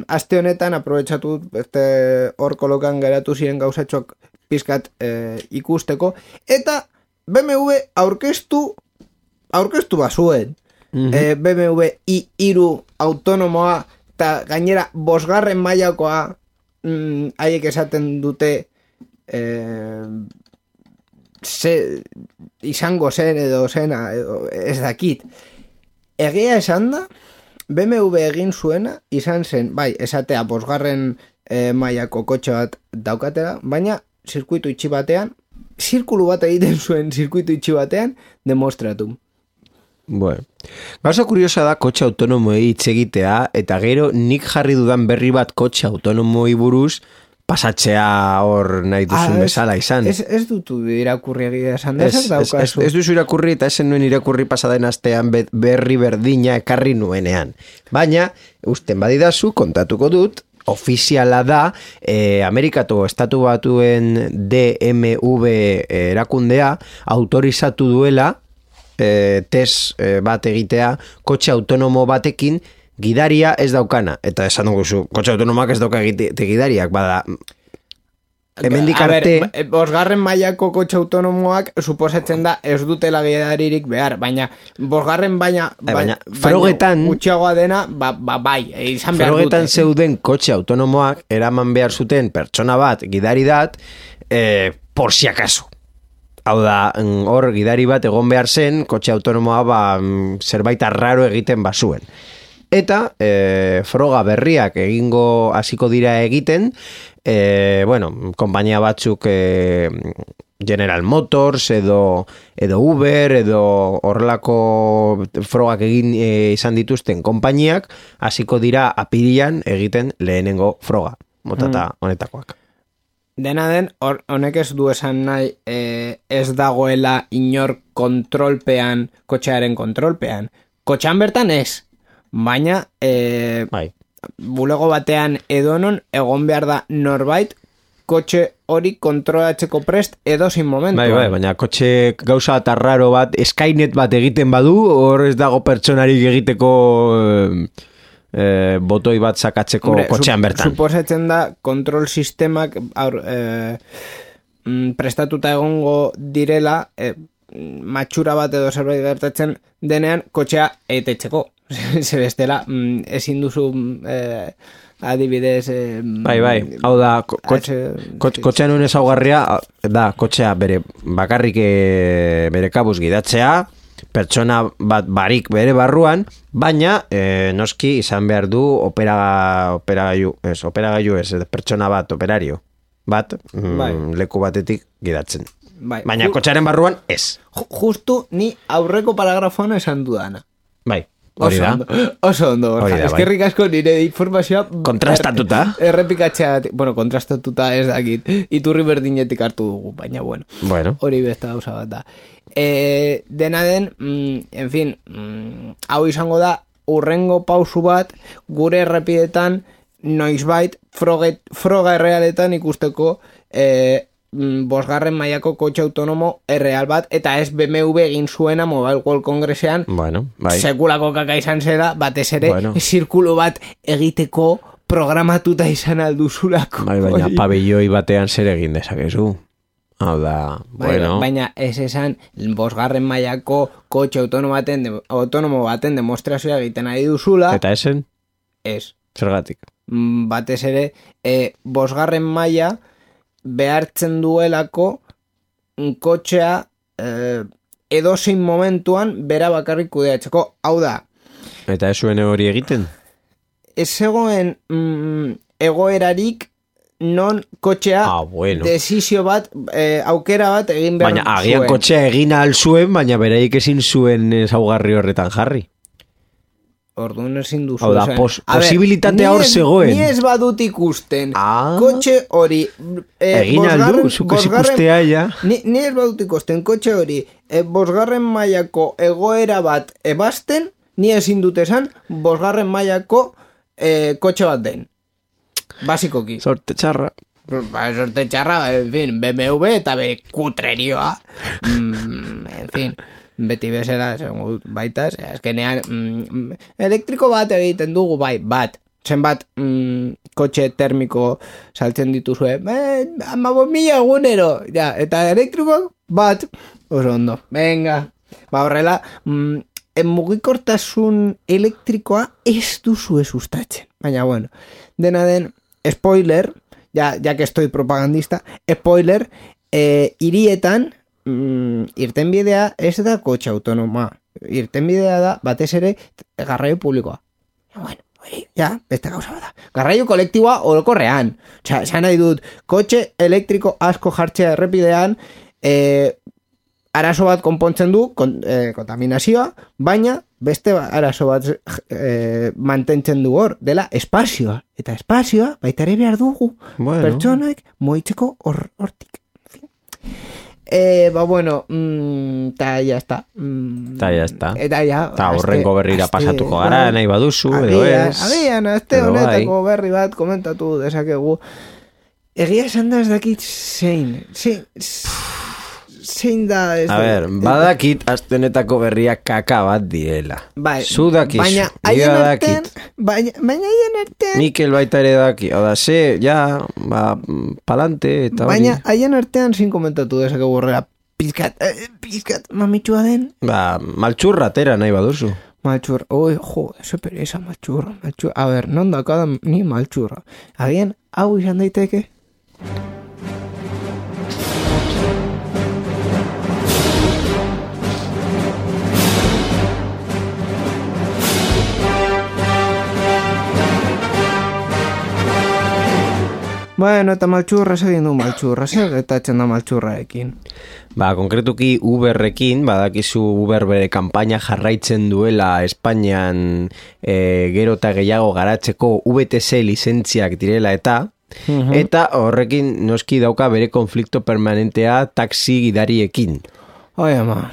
aste honetan aprobetxatu beste hor kolokan geratu ziren gauzatxok pizkat e, ikusteko, eta B M W aurkeztu aurkeztu bazuen. Mm-hmm. E, B M W i hiru autonomoa eta gainera bosgarren mailakoa mm, haiek esaten dute e, ze, izango zen edo zena edo ez dakit. Egia esan da B M W egin zuena izan zen, bai, esatea bosgarren e, mailako kotxe bat daukatela, baina zirkuitu itxi batean, zirkulu bat egiten zuen zirkuitu itxi batean, demostratu. Bueno, gauza kuriosa da kotxe autonomoei hitz egitea, eta gero nik jarri dudan berri bat kotxe autonomoi buruz pasatzea hor nahi duzun ah, bezala izan. Ez, ez dutu irakurri egia esan da, ez, ez, ez, ez duzu irakurri eta esen nuen irakurri pasaden astean berri berdina ekarri nuenean. Baina, usten badidazu, kontatuko dut, ofiziala da, eh, Amerikako estatu batuen D M V erakundea autorizatu duela eh, test eh, bat egitea kotxe autonomo batekin gidaria ez daukana. Eta esan dugu zu, kotxe autonomoak ez dauka egite gidariak, bada... Hemendik arte... A ber, bosgarren mailako kotxe autonomoak suposatzen da ez dutela gidaririk behar, baina bosgarren baina... baina, frogetan... Gutxiagoa dena, ba, ba, bai, izan behar dute. Frogetan zeuden kotxe autonomoak eraman behar zuten pertsona bat, gidari dat, eh, por si acaso. Hau da, hor gidari bat egon behar zen, kotxe autonomoa ba, zerbait arraro egiten bazuen. Eta e, froga berriak egingo hasiko dira egiten, e, bueno, konpainia batzuk e, General Motors edo, edo Uber edo horrelako frogak egin e, izan dituzten konpainiak hasiko dira apirilan egiten lehenengo froga, motata mm. honetakoak. Dena den, honek ez du esan nahi e, ez dagoela inor kontrolpean, kotxearen kontrolpean. Kotxean bertan ez. Baina, e, bai. bulego batean edonon egon behar da norbait kotxe hori kontrolatzeko prest edozein momentu. Bai, bai, baina kotxe gauza eta raro bat, Skynet bat egiten badu, hor ez dago pertsonarik egiteko e, e, botoi bat sakatzeko Hombre, kotxean bertan. Suposatzen da kontrol sistemak aur, e, prestatuta egongo direla e, matxura bat edo zerbait gertatzen denean kotxea etetzeko. Se bestela, mm, ezin duzu eh, adibidez... Eh, bai, bai, hau da, kotxean honen ezaugarria da, kotxea bere bakarrik e, bere kabuz gidatzea, pertsona bat barik bere barruan, baina e, noski izan behar du opera, operagailu, ez, operagailu ez, pertsona bat, operario bat, bai. mm, leku batetik gidatzen. Bai. Baina kotxearen barruan ez. Justu ni aurreko paragrafoan esan dudana. Bai. Oso ondo, oso ondo, Borja. Eskerrik asko nire informazioa... Kontrastatuta. Er, errepikatzea, bueno, kontrastatuta ez dakit, iturri berdinetik hartu dugu, baina bueno. Bueno. Hori beste gauza bat da. E, dena den, mm, en fin, mm, hau izango da, urrengo pausu bat, gure errepidetan, noizbait, froga, froga errealetan ikusteko... E, bosgarren mailako kotxe autonomo erreal bat, eta ez B M W egin zuena Mobile World Congressean, bueno, bai. sekulako kaka izan zera, batez ere, bueno. zirkulo bat egiteko programatuta izan alduzulako. Bai, baina pabelloi batean zer egin dezakezu. Hau da, bai, bueno. Baina ez esan, bosgarren mailako kotxe autonomo baten, de, autonomo baten demostrazioa egiten ari duzula. Eta esen? Ez. Zergatik? Batez ere, e, bosgarren maila behartzen duelako kotxea eh, edozein momentuan bera bakarrik kudeatzeko. Hau da. Eta ez zuen hori egiten? Ez zegoen mm, egoerarik non kotxea ah, bueno. desizio bat, eh, aukera bat egin behar baina, zuen. Baina agian kotxea egin ahal zuen, baina beraik ezin zuen ezaugarri horretan jarri. Orduan ezin duzu. Hau da, esan. pos- A ber, posibilitatea ni hor ez- zegoen. Ni ez badut ikusten. Ah. Kotxe hori... Eh, Egin aldu, zuk ez ikustea ja. Ni, ni ez badut ikusten kotxe hori eh, bosgarren mailako egoera bat ebasten, ni ezin dut esan bosgarren mailako eh, kotxe bat den. Basikoki. Sorte txarra. Ba, sorte txarra, en fin, B M W eta be kutrerioa. Mm, en fin, beti bezala, esango dut baita, ze, azkenean, mm, elektriko bat egiten dugu, bai, bat. Zenbat mm, kotxe termiko saltzen dituzue, eh, amabos mila egunero, ja, eta elektriko bat, oso ondo, venga. Ba, horrela, mm, mugikortasun elektrikoa ez duzue sustatzen. Baina, bueno, dena den, spoiler, ja, ja que estoy propagandista, spoiler, eh, hirietan, mm, irtenbidea ez da kotxe autonoma. Irtenbidea da, batez ere, garraio publikoa. Bueno, hori, ja, beste gauza bada. Garraio kolektiboa orokorrean. Osea, esan nahi dut, kotxe elektriko asko jartzea errepidean, eh, arazo bat konpontzen du, kon, eh, kontaminazioa, baina beste arazo bat eh, mantentzen du hor, dela espazioa. Eta espazioa baita ere behar dugu. Bueno. Pertsonak moitzeko hor, hortik. Eh, ba bueno, mm, ta ya está. Mm, Ta ya está. Eta ja. Ta horrengo berrira pasatuko gara, nahi baduzu, edo ez. Agian, azte Edo bai. honetako berri bat komentatu dezakegu. Egia esan da ez dakit zein. Zein, zein da ez A da- ber, badakit aztenetako berriak kaka bat diela. Bai, Zu dakizu, baina ni haien artean, badakit. baina, baina haien artean, Mikel baita ere daki. Oda, ze, ja, ba, palante eta hori. baina haien artean zin komentatu dezakegu horrela, pizkat, eh, pizkat, mamitxua den, Ba, maltxurra atera nahi baduzu. maltxurra, oi, jo, ese pereza maltxurra, maltxurra, a ber, non dakada ni maltxurra, agian, hau izan daiteke, bueno, eta maltxurra egin du maltxurra, zer getatzen da maltxurraekin. Ba, konkretuki Uberrekin, badakizu Uber bere kanpaina jarraitzen duela Espainian e, gero eta gehiago garatzeko V T C lizentziak direla eta, eta horrekin noski dauka bere konflikto permanentea taxi gidariekin. Oi, ama.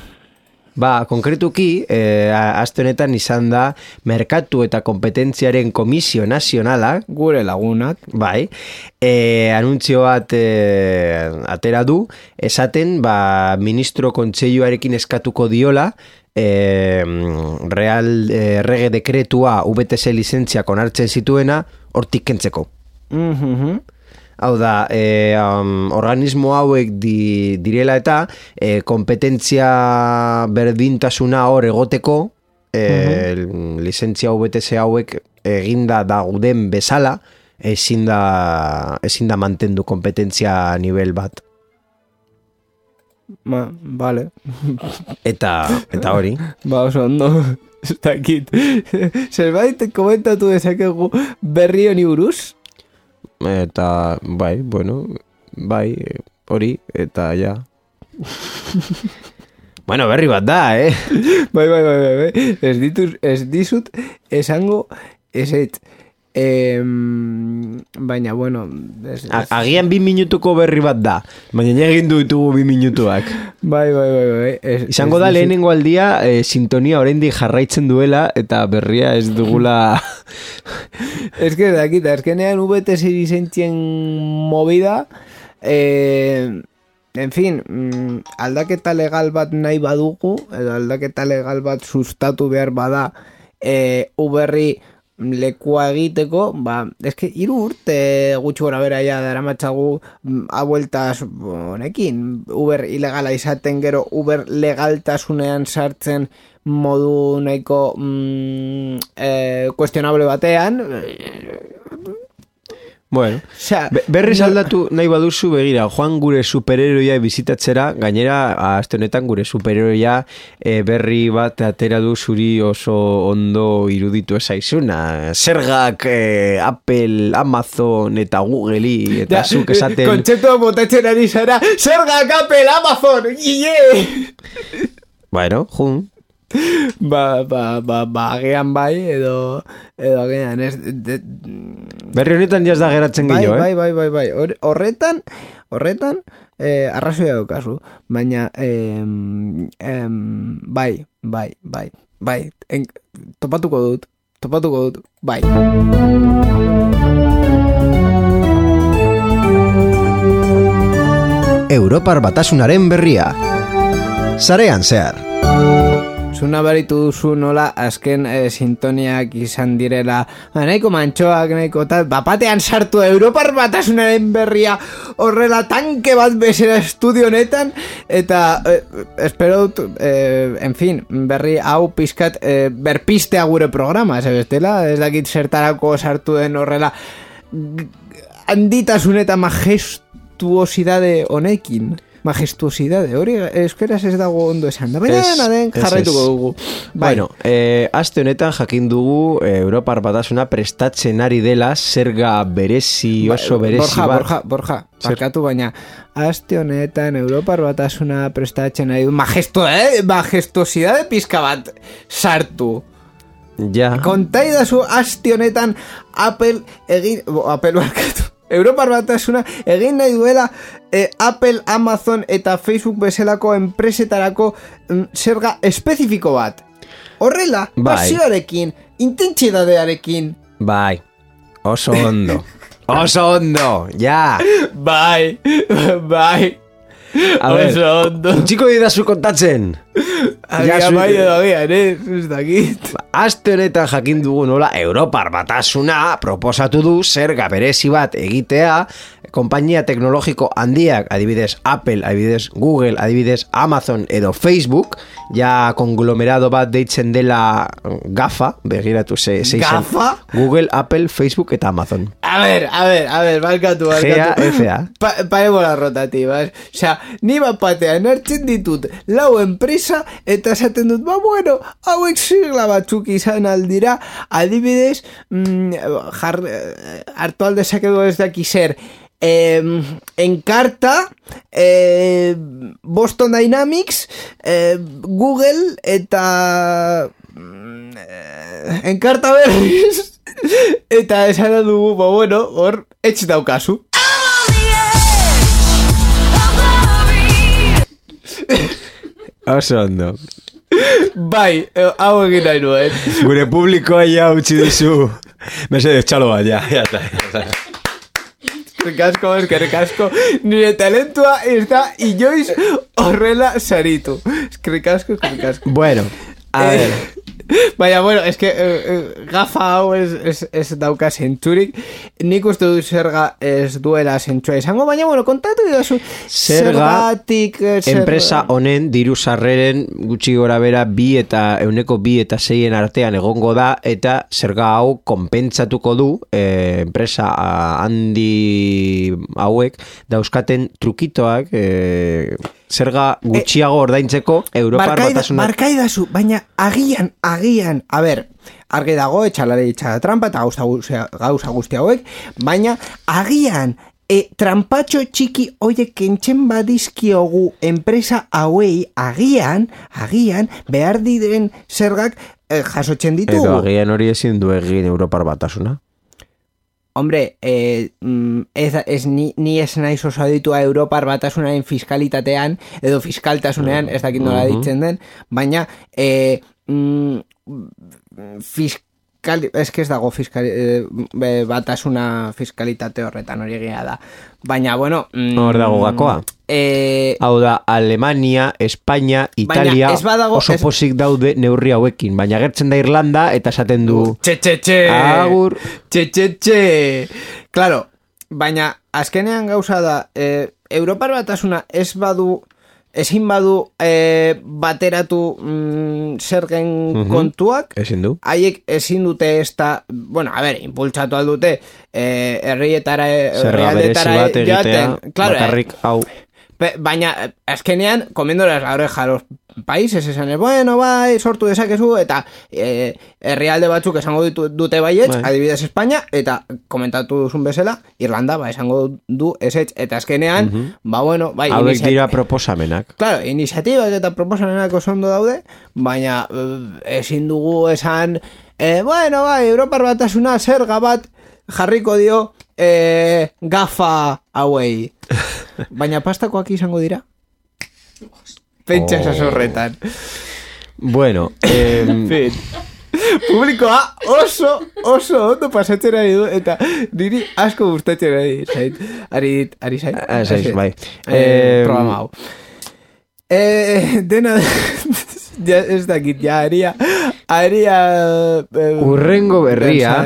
Ba, konkretuki, e, aste honetan izan da Merkatu eta Kompetentziaren Komisio Nazionala, Gure lagunak. bai, e, anuntzio bat e, atera du, esaten, ba, ministro kontseiluarekin eskatuko diola, e, real e, rege dekretua V T C lizentziak onartzen zituena, hortik kentzeko. Mhm. Hau da, e, um, organismo hauek di, direla eta e, kompetentzia berdintasuna hor egoteko e, lizentzia V T C hauek eginda dauden bezala ezin da, ezin da mantendu kompetentzia nivel bat. Ba, vale. Eta, eta hori. Ba, oso ondo. Ez dakit. Zerbait komentatu dezakegu berri honi buruz? Eta, bai, bueno, bai, hori, eta ja. Bueno, berri bat da, eh? Bai, bai, bai, bai, bai. Ez dituz, ez dizut esango eset. Em, baina, bueno... Ez, ez. A- Agian bi minutuko berri bat da, baina egin du ditugu bi minutuak. Bai, bai, bai, bai. Ez, Izango ez da dizut- lehenengo aldia e, sintonia oraindik jarraitzen duela eta berria ez dugula. Ez que dakit, azkenean V T C lizentzien movida, eh, en fin, mm, aldaketa legal bat nahi badugu, edo aldaketa legal bat sustatu behar bada eh, Uberri lekua egiteko, ba, eske hiru urte gutxi gora bera ja daramatzagu mm, a bueltas honekin, Uber ilegala izaten gero Uber legaltasunean sartzen modu nahiko mm, eh, kuestionable batean. Bueno, Osea, be- berriz aldatu nahi baduzu begira, joan gure superheroia bizitatzera, gainera aste honetan gure superheroia e, berri bat atera du zuri oso ondo iruditu ezaizuna. Zergak e, Apple, Amazon eta Googleri eta zuk esaten... kontzeptua botatzen ari zara, zergak Apple, Amazon, ie! Bueno, jun, Ba, ba, ba, ba, agian bai, edo, edo agian, ez, de, Berri honetan jaz da geratzen bai, gehiago, eh? bai, bai, bai, bai, Hor- horretan, horretan, eh, arrazoia daukazu, baina, em, em, bai, bai, bai, bai, en, topatuko dut, topatuko dut, bai. Europar Batasunaren berria. Sarean zehar. Zuna baritu duzu nola azken eh, sintoniak izan direla ba, nahiko mantxoak, nahiko tal bapatean sartu Europar Batasunaren berria horrela tanke bat bezera estudio honetan eta eh, espero dut eh, en fin, berri hau pizkat eh, berpistea gure programa ez bestela, ez dakit zertarako sartu den horrela g- handitasun eta majestuosidade honekin majestuosidade, hori euskeraz ez dago ondo esan da, baina Ez, dena den ez, jarraituko ez. dugu. Bai. Bueno, eh, aste honetan jakin dugu eh, Europar Batasuna prestatzen ari dela zerga berezi oso berezi Borja, bat. Borja, Borja, barkatu baina aste honetan Europar Batasuna prestatzen ari du majesto, eh? majestuosidade pizka bat sartu. Ja. Kontaidazu aste honetan Apple egin, bo, Apple barkatu. Europar Batasuna egin nahi duela eh, Apple, Amazon eta Facebook bezalako enpresetarako mm, zerga espezifiko bat. Horrela, Bai. pasioarekin, intentsidadearekin. Bai. Oso ondo. Oso ondo. Ja. Bai, bai. A ver, Oso ondo. txiko didazu kontatzen. Agia zu- bai edo agian, eh? Ez dakit. Aste honetan jakin dugu nola Europar Batasuna proposatu du zerga berezi bat egitea konpainia teknologiko handiak, adibidez Apple, adibidez Google, adibidez Amazon edo Facebook, ja konglomerado bat deitzen dela GAFA, begiratu ze, ze izen. GAFA? Google, Apple, Facebook eta Amazon. A ver, a ver, a ver, barkatu, barkatu. G A F A. Pa, parébola rotativas. Osea, ni bat batean hartzen ditut lau enpresa eta esaten dut, ba bueno, hauek sigla batzuk izan aldira, adibidez, mm, jar, hartu aldezakegu ez daki zer, eh, Encarta, eh, Boston Dynamics, eh, Google eta mm, eh, Encarta berriz eta esan dugu, ba bueno, hor etx daukazu. Oso ondo. Bai, eh, hau egin nahi nuen. Gure publikoa ja utzi duzu. Mesedez, txalo bat, ja. Ja, ja, ja. Eskerrik asko, eskerrik asko. Nire talentua ez da inoiz horrela saritu. Eskerrik asko, eskerrik asko. Bueno, a Eh, ver. Baina, bueno, es que eh, eh, gafa hau ez, ez, ez dauka zentzurik. Nik uste dut zerga ez duela zentzua izango, baina, bueno, kontatu didazu Zerga, zergatik eh, zer- enpresa honen diru sarreren gutxi gora bera bi eta euneko bi eta seien artean egongo da eta zerga hau konpentsatuko du eh, enpresa ah, handi hauek dauzkaten trukitoak eh, zerga gutxiago ordaintzeko Europar Barkaida- Batasuna. Barkaidazu, baina agian, agian, a ber, argi dago, etxalare etxala trampa eta gauza, guztia- gauza guzti hauek, baina agian, e, trampatxo txiki hoiek kentzen badizkiogu enpresa hauei, agian, agian, behar diren zergak eh, jasotzen ditugu. Edo agian hori ezin du egin Europar Batasuna. Hombre, eh, mm, ez, ez ni, ni ez naiz oso aditua Europar Batasunaren fiskalitatean, edo fiskaltasunean, ez dakit nola Mhm. ditzen den, baina eh, mm, fiskal, ez que ez dago fiskal, eh, be- batasuna fiskalitate horretan hori egia da. Baina, bueno... Mm, Hor dago gakoa. Eh, Hau da, Alemania, Espainia, Italia ez badago- oso ez- posik daude neurri hauekin, baina gertzen da Irlanda eta esaten du Txe, txe, txe! Agur. Txe, txe, txe! Claro, baina azkenean gauza da, eh, Europar Batasuna ez badu, ezin badu eh, bateratu mm, zergen Mhm. kontuak, ezin du. haiek ezin dute ez da, bueno, a ber, impultsatu aldute, eh, herrietara, Zerga berezi herrialdetara bat egitea, joaten. Claro, eh, bakarrik hau. Pe, baina, azkenean, comiéndoles la oreja a los países, esan, bueno, bai, sortu dezakezu, eta e, herrialde batzuk esango ditu, dute baietz, bai. Adibidez Espanya, eta komentatu duzun bezala, Irlanda, ba, esango du esetz, eta azkenean, uh-huh. ba, bueno, bai, hauek iniziat... dira proposamenak. Claro, iniziatibak eta proposamenak oso ondo daude, baina ezin dugu esan, e, bueno, bai, Europar Batasuna zerga bat jarriko dio e, gafa hauei. Baina pastakoak izango dira? Pentsa esas horretan. Bueno, eh... fin. Publikoa oso, oso ondo pasatzen ari du, eta niri asko gustatzen ari zait. Ari, ari zait? Ah, zait, bai. Eh, programa hau. Eh, dena... ja, ez dakit, ja, aria... Aria... Eh, urrengo berria...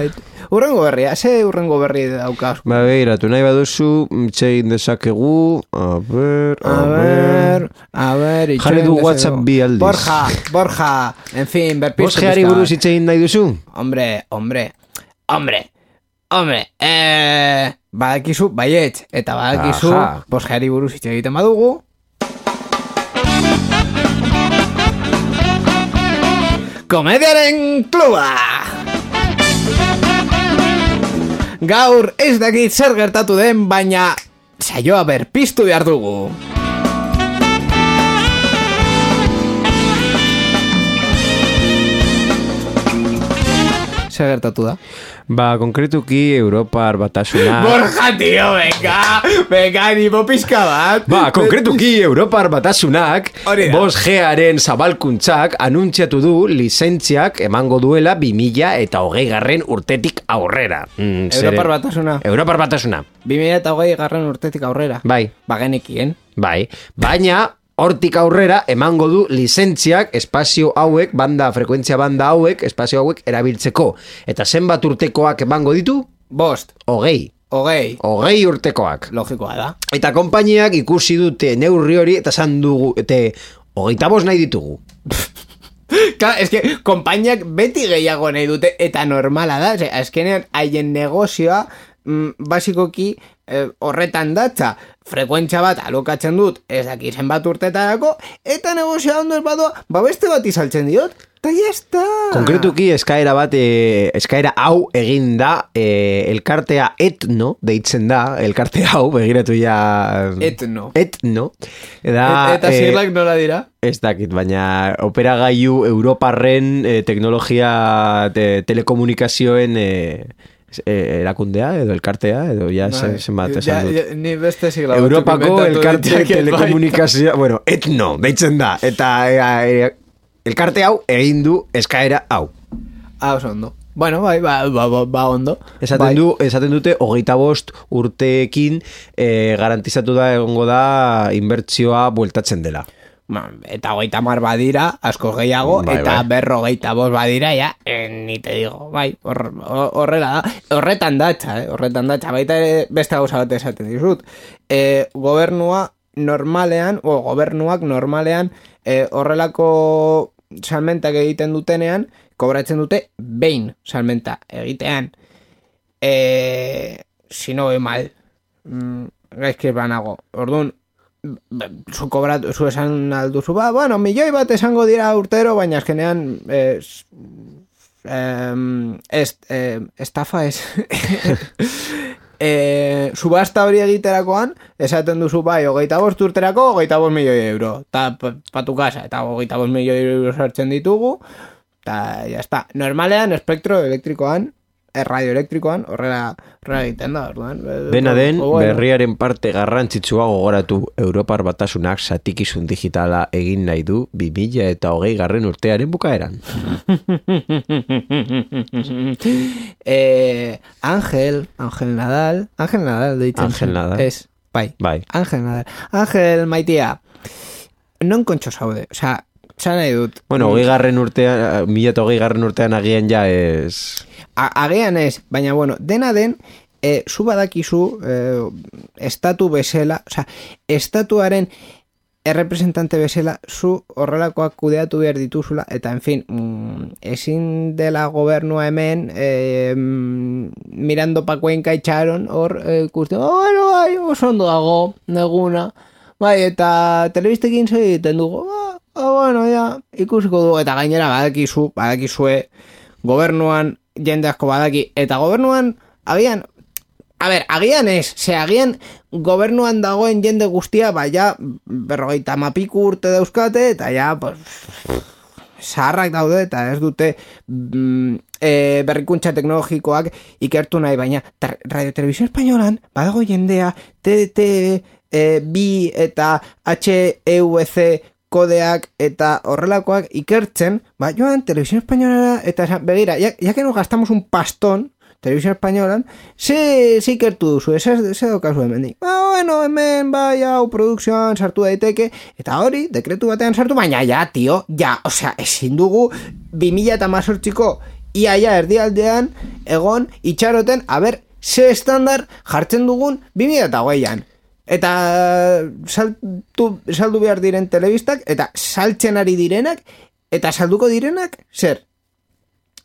Urrengo berria, ze urrengo berri daukaz? Ba, behiratu, nahi baduzu, itxein dezakegu, a ber, a, a ber, a ber, jarri du WhatsApp bi aldiz. Borja, Borja, en fin, berpiztu. Bos geari buruz itxein nahi duzu? Hombre, hombre, hombre, hombre, eh, badakizu, baietz, eta badakizu, bos geari buruz itxe egiten badugu. Komediaren kluba! Gaur ez dakit zer gertatu den, baina saioa berpiztu behar dugu. Zer gertatu da? Ba, konkretuki Europar Batasuna... Borja, tio, venga! Venga, nimo pizka bat! Ba, konkretuki Europar Batasunak bos gearen zabalkuntzak anuntziatu du lizentziak emango duela bi mila eta hogei garren urtetik aurrera. Mm, Europar Batasuna. Europar Batasuna. bi mila eta hogei garren urtetik aurrera. Bai. Bagenekien. Bai. Baina... hortik aurrera emango du lizentziak espazio hauek, banda, frekuentzia banda hauek, espazio hauek erabiltzeko. Eta zenbat urtekoak emango ditu? Bost. Hogei. Hogei. Hogei urtekoak. Logikoa da. Eta konpainiak ikusi dute neurri hori eta zan dugu, eta hogeita bost nahi ditugu. Claro, es que konpainiak beti gehiago nahi dute eta normala da. Ose, azkenean haien negozioa mm, basikoki eh, horretan datza. Frekuentzia bat alokatzen dut, ez daki zenbat urtetarako, eta negozioa ondo ez badoa, ba beste bat izaltzen diot, eta jazta. Konkretuki eskaera bat, e, eskaera hau egin da, e, elkartea etno, deitzen da, elkarte hau, begiratu ja... Etno. Etno. Da, Et, eta zirlak e, nola dira? Ez dakit, baina operagailu Europarren e, teknologia te, telekomunikazioen... E, erakundea edo elkartea edo ja zen, zenbat esan dut. Ni beste sigla Europako elkarte telekomunikazioa, bueno, etno, deitzen da, eta e, e, elkarte hau egin du eskaera hau. Ah, oso ondo. Bueno, bai, ba, ba, ba, ba ondo. Esaten, bai. du, esaten dute hogeita bost urteekin e, garantizatu da egongo da inbertsioa bueltatzen dela. Eta hogeita mar badira, asko gehiago, bai, eta bai. Berrogeita bost badira, ja, eh, ni te digo, bai, horrela da, horretan datxa, eh, horretan datxa, baita beste gauza bat esaten dizut. Eh, gobernua normalean, o gobernuak normalean, eh, horrelako salmentak egiten dutenean, kobratzen dute behin salmenta egitean. Eh, si no ve mal, mm, gaizkiz banago, orduan, zu kobrat, zu esan alduzu, ba, bueno, milioi bat esango dira urtero, baina azkenean eh, eh, est, eh, estafa ez eh, subasta hori egiterakoan esaten duzu bai, hogeita bost urterako hogeita bost milioi euro, eta patu casa, eta hogeita bost milioi euro sartzen ditugu, eta jazta, normalean espektro elektrikoan radioelektrikoan horrela horrela egiten da, orduan. Dena den, berriaren parte garrantzitsua gogoratu Europar Batasunak zatikizun digitala egin nahi du bi mila eta hogei garren urtearen bukaeran. eh, Ángel, Ángel Nadal, Ángel Nadal deitzen. Ángel Nadal. Ez, bai. Bai. Ángel Nadal. Ángel, maitia, non kontxo zaude, osea, zan nahi dut. Bueno, hogei garren urtean, mila eta hogei garren urtean agian ja ez... Agian ez, baina bueno, dena den, e, zu badakizu, e, estatu bezala, oza, estatuaren errepresentante bezala, zu horrelakoak kudeatu behar dituzula, eta en fin, mm, ezin dela gobernua hemen, e, mm, mirando pa Cuenca itxaron, hor, ikusten, e, oh, bueno, bai, oso ondo dago, neguna, Bai, eta telebistekin egiten dugu, ah, ah, bueno, ja, ikusiko dugu, eta gainera badakizu, badakizue, gobernuan jende asko badaki, eta gobernuan, agian, a ber, agian ez, ze agian gobernuan dagoen jende guztia, ba, ja, berrogeita mapiku urte dauzkate, eta ja, pues, zaharrak daude, eta ez dute mm, e, berrikuntza teknologikoak ikertu nahi, baina Radio Televisión Españolan, badago jendea, T D T, E, bi eta H E V C kodeak eta horrelakoak ikertzen, ba, joan, Televisión Española eta esan, begira, ya, ya que nos gastamos un pastón, Televisión Españolan, ze, ze ikertu duzu, ze, ze daukazu hemen dik. Ba, bueno, hemen, bai, hau, produkzioan sartu daiteke, eta hori, dekretu batean sartu, baina ja, tio, ja, osea, ezin dugu, bi mila eta mazortziko, iaia erdialdean, egon, itxaroten, a ber, ze estandar jartzen dugun bi mila eta hogeian. Eta saltu, saldu behar diren telebistak, eta saltzen ari direnak, eta salduko direnak, zer?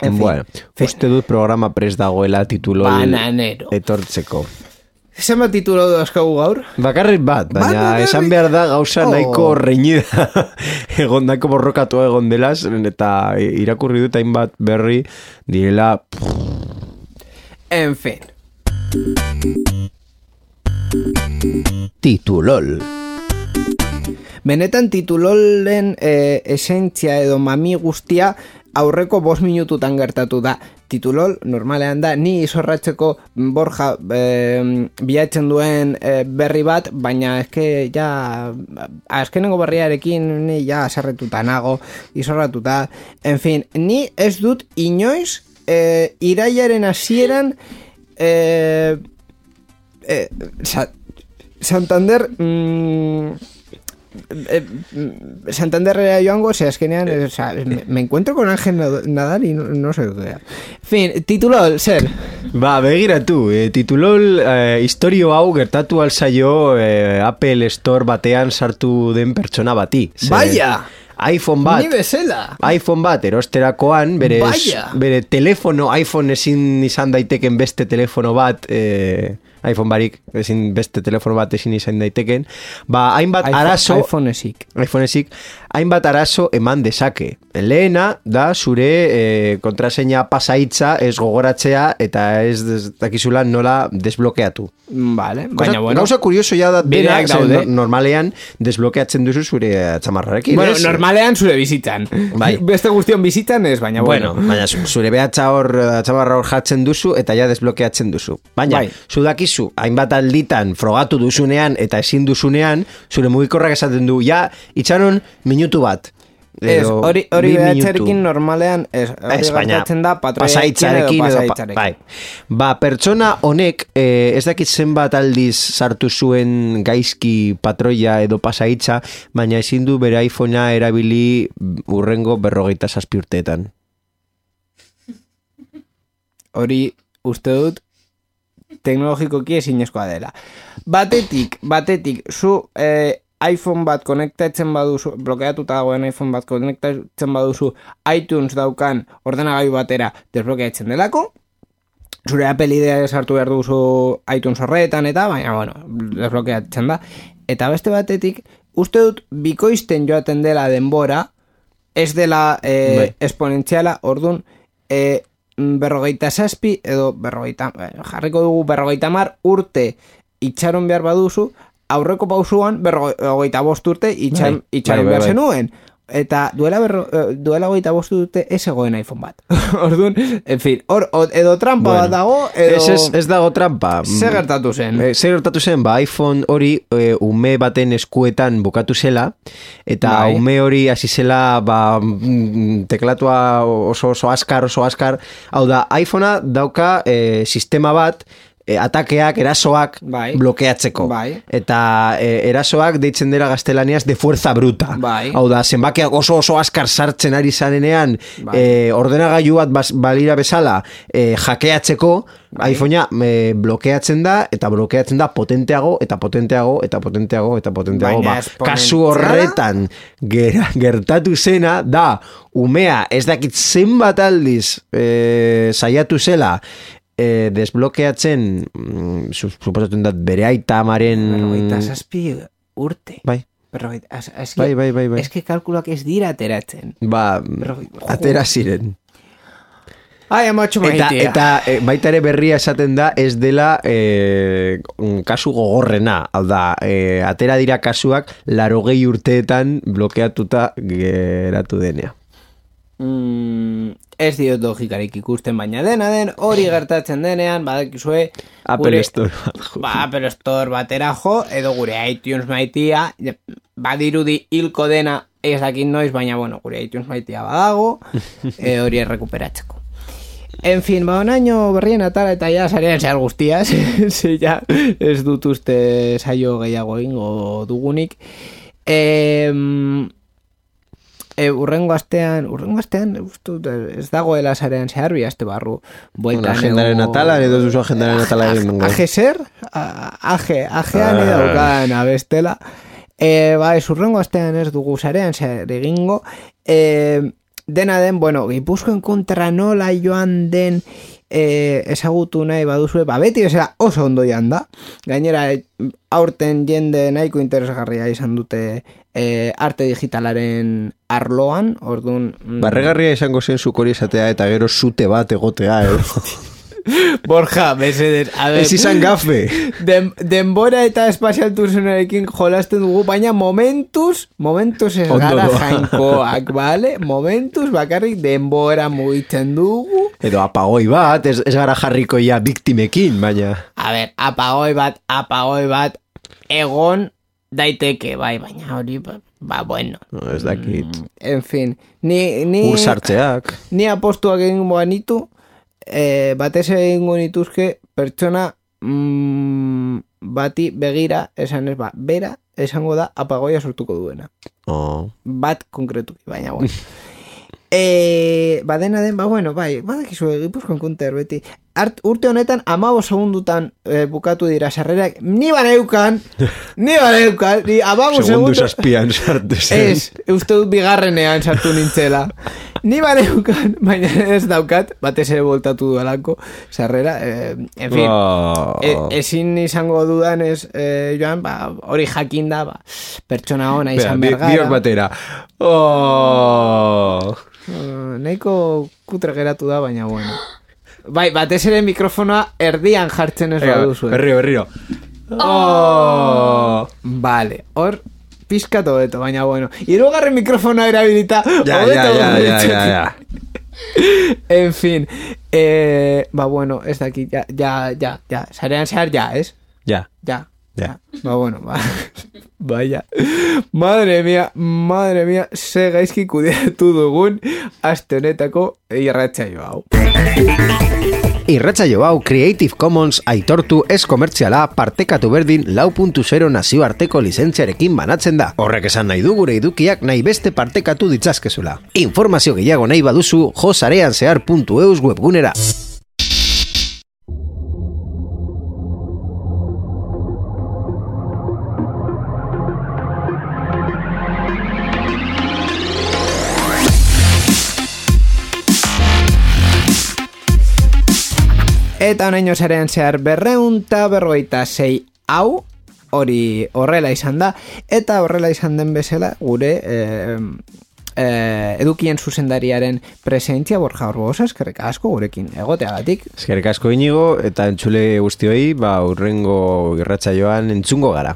En fin, bueno, fin. Uste dut programa prest dagoela titulo Bananero. etortzeko. Zenbat titulo dauzkagu gaur? Bakarrik bat, baina Bakarrik. esan behar da gauza Oh. nahiko reñida egondako borrokatu egon delaz, eta irakurri dut hainbat berri direla... En fin. Titulol. Benetan titulolen e, esentzia edo mami guztia aurreko bost minututan gertatu da. Titulol normalean da ni izorratzeko Borja e, bilatzen duen e, berri bat, baina eske ja azkenengo berriarekin ni ja sarretuta nago, izorratuta. En fin, ni ez dut inoiz e, irailaren hasieran e, e, sa, Santander mmm, eh, Santanderrera joango, ze azkenean, o sea, me, me encuentro con Ángel Nadal y no, no sé qué. En fin, titulol, zer. Ba, begiratu, e, titulol e, historio hau gertatu alzaio e, Apple Store batean sartu den pertsona bati. Ze, Vaya! iPhone bat. Ni bezala. iPhone bat erosterakoan, bere, Vaya. bere telefono, iPhone ezin izan daiteken beste telefono bat, e, iPhone barik ezin beste telefono bat ezin izan daiteken, ba, hainbat iPhone, arazo... iPhone esik. iPhone esik, hainbat arazo eman dezake. Lehena da zure e, kontraseina pasaitza ez gogoratzea eta ez des, dakizula nola desblokeatu. Vale, Cosa, baina bueno. Gauza kurioso ja da dena, Bideak daude. no, normalean desblokeatzen duzu zure txamarrarekin. Bueno, ez? normalean zure bizitzan. Bai. Beste guztion bizitzan ez, baina Bueno, bueno. baina zu- zure behatza hor, txamarra hor jatzen duzu eta ja desblokeatzen duzu. Baina, Bai. zu dakizu, hainbat alditan frogatu duzunean eta ezin duzunean, zure mugikorrak esaten du, ja, itxaron minutu bat. Ez, Edo hori, hori bi behatxarekin minutu. normalean ez, hori Ez, baina gertatzen da pasaitzarekin patroiarekin edo edo pa- pasaitzarekin. bai. Ba, pertsona honek eh, ez dakit zenbat aldiz sartu zuen gaizki patroia edo pasaitza, baina ezin du bere iPhonea erabili urrengo berrogeita zazpi urteetan. Hori uste dut teknologikoki ezinezkoa dela. Batetik, batetik, zu eh, iPhone bat konektatzen baduzu, blokeatuta dagoen iPhone bat konektatzen baduzu iTunes daukan ordenagailu batera desblokeatzen delako, zure Apple idea sartu behar duzu iTunes horretan eta, baina, bueno, desblokeatzen da. Eta beste batetik, uste dut bikoizten joaten dela denbora, ez dela eh, Bai. esponentziala, orduan, eh, berrogeita zazpi, edo berrogeita, jarriko dugu berrogeita mar urte itxaron behar baduzu, aurreko pausuan berrogeita bost urte itxaron, Bai, itxaron bai, bai, behar bai. zenuen. Eta duela, berro, eh, duela goita bost urte ez egoen iPhone bat. Orduan, en fin, or, o- edo trampa Bueno, bat dago, edo... Ez, ez, ez dago trampa. Zer gertatu zen? Eh, zer gertatu zen, ba, iPhone hori e, ume baten eskuetan bukatu zela, eta Bai. ume hori hasi zela ba, mm, teklatua oso oso askar, oso askar. Hau da, iPhonea dauka e, sistema bat, e, atakeak, erasoak Bai. blokeatzeko. Bai. Eta e, erasoak deitzen dira gaztelaniaz de fuerza bruta. Bai. Hau da, zenbakiak oso oso askar sartzen ari zarenean, Bai. e, ordenagailu bat bas, balira bezala e, jakeatzeko, Bai. iPhonea e, blokeatzen da, eta blokeatzen da potenteago, eta potenteago, eta potenteago, eta potenteago. Baina Ba, esponentziala? kasu horretan ger, gertatu zena da, umea ez dakit zenbat aldiz e, saiatu zela, e, desblokeatzen, mm, su- suposatzen da bere aita amaren... Berrogeita zazpi urte. Bai. Berrogeita, az, az, Bai, bai, bai, bai. eske kalkulak ez dira ateratzen. Ba, Berrogeita, jo. atera ziren. Ai, amatxo Eta, maitea. eta e, baita ere berria esaten da ez dela e, kasu gogorrena. Hau da, e, atera dira kasuak larogei urteetan blokeatuta geratu denea. Mm, ez diot logikarik ikusten, baina dena den hori gertatzen denean, badakizue Apple Store. ba, Apple Store batera jo, edo gure iTunes maitia, badirudi hilko dena ez dakit noiz, baina bueno, gure iTunes maitia badago, e, hori errekuperatzeko. En fin, ba, onaino berrien atara eta ja sarean zehar guztiaz, ze ja ez dut uste saio gehiago egingo dugunik. E, e, urrengo astean, urrengo astean, ustut, ez dagoela sarean zehar bi aste barru. Bueno, agendaren atala, edo duzu agendaren atala egin. Aje zer? Aje, ajean edo daukan abestela. E, ba, ez urrengo astean ez dugu sarean zehar egingo. E, Dena den, bueno, Gipuzkoen kontra nola joan den e, ezagutu nahi baduzue, ba, beti bezala oso ondo joan da. Gainera, aurten jende nahiko interesgarria izan dute e, arte digitalaren arloan, orduan... Mm, Barregarria izango zen zukori izatea eta gero zute bat egotea, eh? Borja, mesedez, a ver... Ez izan gafe. Den, denbora eta espazial turzonarekin jolasten dugu, baina momentuz, momentuz ez Ondo gara doa. jainkoak, vale? Momentuz bakarrik denbora mugitzen dugu. Edo apagoi bat, ez, ez gara jarriko ja biktimekin, baina... A ver, apagoi bat, apagoi bat, egon daiteke, bai, baina hori, ba, ba bueno. No, ez dakit. En fin, ni... ni Ur sartzeak. Ni apostuak egin banitu, e, batez egingo nituzke pertsona mm, bati begira esan ez ba, bera esango da apagoia sortuko duena. Oh. Bat konkretuki, baina bueno. e, badena den, ba bueno, bai, badakizu Gipuzkoan konter beti. Art, urte honetan amabo segundutan e, bukatu dira sarrerak, ni baneukan, ni baneukan, ni amabo Segundu segundu... zazpian sartu zen. Ez, uste dut bigarrenean sartu nintzela. Ni baneukan, baina ez daukat, batez ere voltatu duelako, sarrera, eh, en fin, Oh. e, ezin izango dudan ez, eh, joan, ba, hori jakinda, ba, pertsona ona izan Bera, bi- bergara. biok batera. Oh. Uh, nahiko kutre geratu da, baina bueno. Bai, batez ere mikrofonoa erdian jartzen ez baduzu. Berrio, berrio. Oh. Vale, hor pizkatu beto, baina bueno. Hirugarren mikrofonoa erabilita. Ja, hobeto ja, ja, ja, gogoratzen. ja, ja. En fin, eh, ba bueno, ez dakit, ja, ja, ja, ja, sarean zehar ja, ez? Ja. Ja, Ja. Ba bueno, ba, vaya. Madre mía, madre mía, ze gaizki kudeatu dugun aste honetako irratsaio hau. Irratsaio hau Creative Commons aitortu ez komertziala partekatu berdin lau puntu zero nazioarteko lizentziarekin banatzen da. Horrek esan nahi du gure edukiak nahi beste partekatu ditzazkezula. Informazio gehiago nahi baduzu jo sareanzehar puntu eus webgunera. Eta honaino zarean zehar berreunta berrogeita sei hau, hori horrela izan da, eta horrela izan den bezala gure eh, eh, edukien zuzendariaren presentzia Borja Orbosa, eskerrik asko gurekin egoteagatik. Eskerrik asko Inigo eta entzule guztioi, ba urrengo irratsaioan entzungo gara.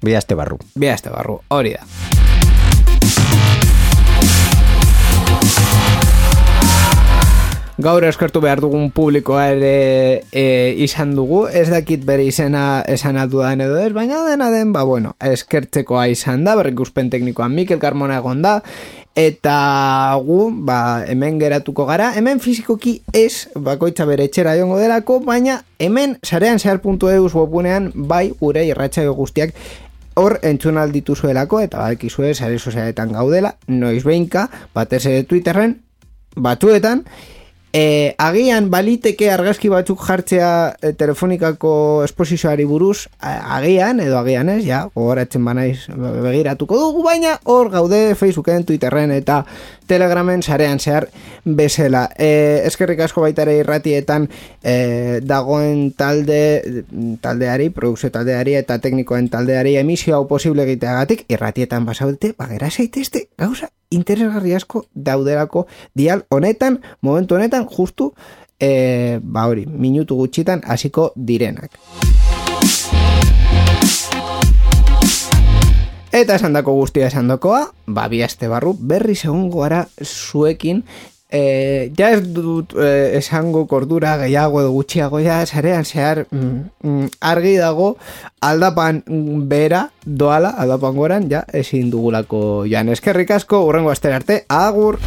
Bi aste barru. Bi aste barru, hori da. Gaur eskertu behar dugun publikoa ere e, izan dugu, ez dakit bere izena esan aldudan edo ez, baina dena den, ba bueno, eskertzekoa izan da, berrikuspen teknikoan Mikel Carmona egon da, eta gu, ba, hemen geratuko gara, hemen fizikoki ez, bakoitza bere etxera joango delako, baina hemen sarean zehar puntu eus webgunean, bai gure irratsaio guztiak hor entzun aldituzuelako, eta badakizue sare sozialetan gaudela, noiz behinka, batez ere Twitterren, batzuetan, E, agian baliteke argazki batzuk jartzea e, telefonikako esposizioari buruz, a, agian, edo agian ez, ja, gogoratzen banaiz begiratuko dugu, baina hor gaude Facebooken, Twitterren eta Telegramen sarean zehar bezala. E, eskerrik asko baita ere irratietan e, dagoen talde taldeari, produkzio taldeari eta teknikoen taldeari emisio hau posible egiteagatik, irratietan basaudete, bagera zaitezte, gauza interesgarri asko daudelako dial honetan, momentu honetan, justu, e, ba hori, minutu gutxitan hasiko direnak. Eta esandako guztia esandokoa, ba biaste barru, berri segungo gara zuekin, e, ja ez dut e, esango kordura gehiago edo gutxiago, ja sarean zehar mm, mm, argi dago aldapan bera doala, aldapan goran, ja ezin dugulako jan. Eskerrik asko, urrengo astera arte, agur!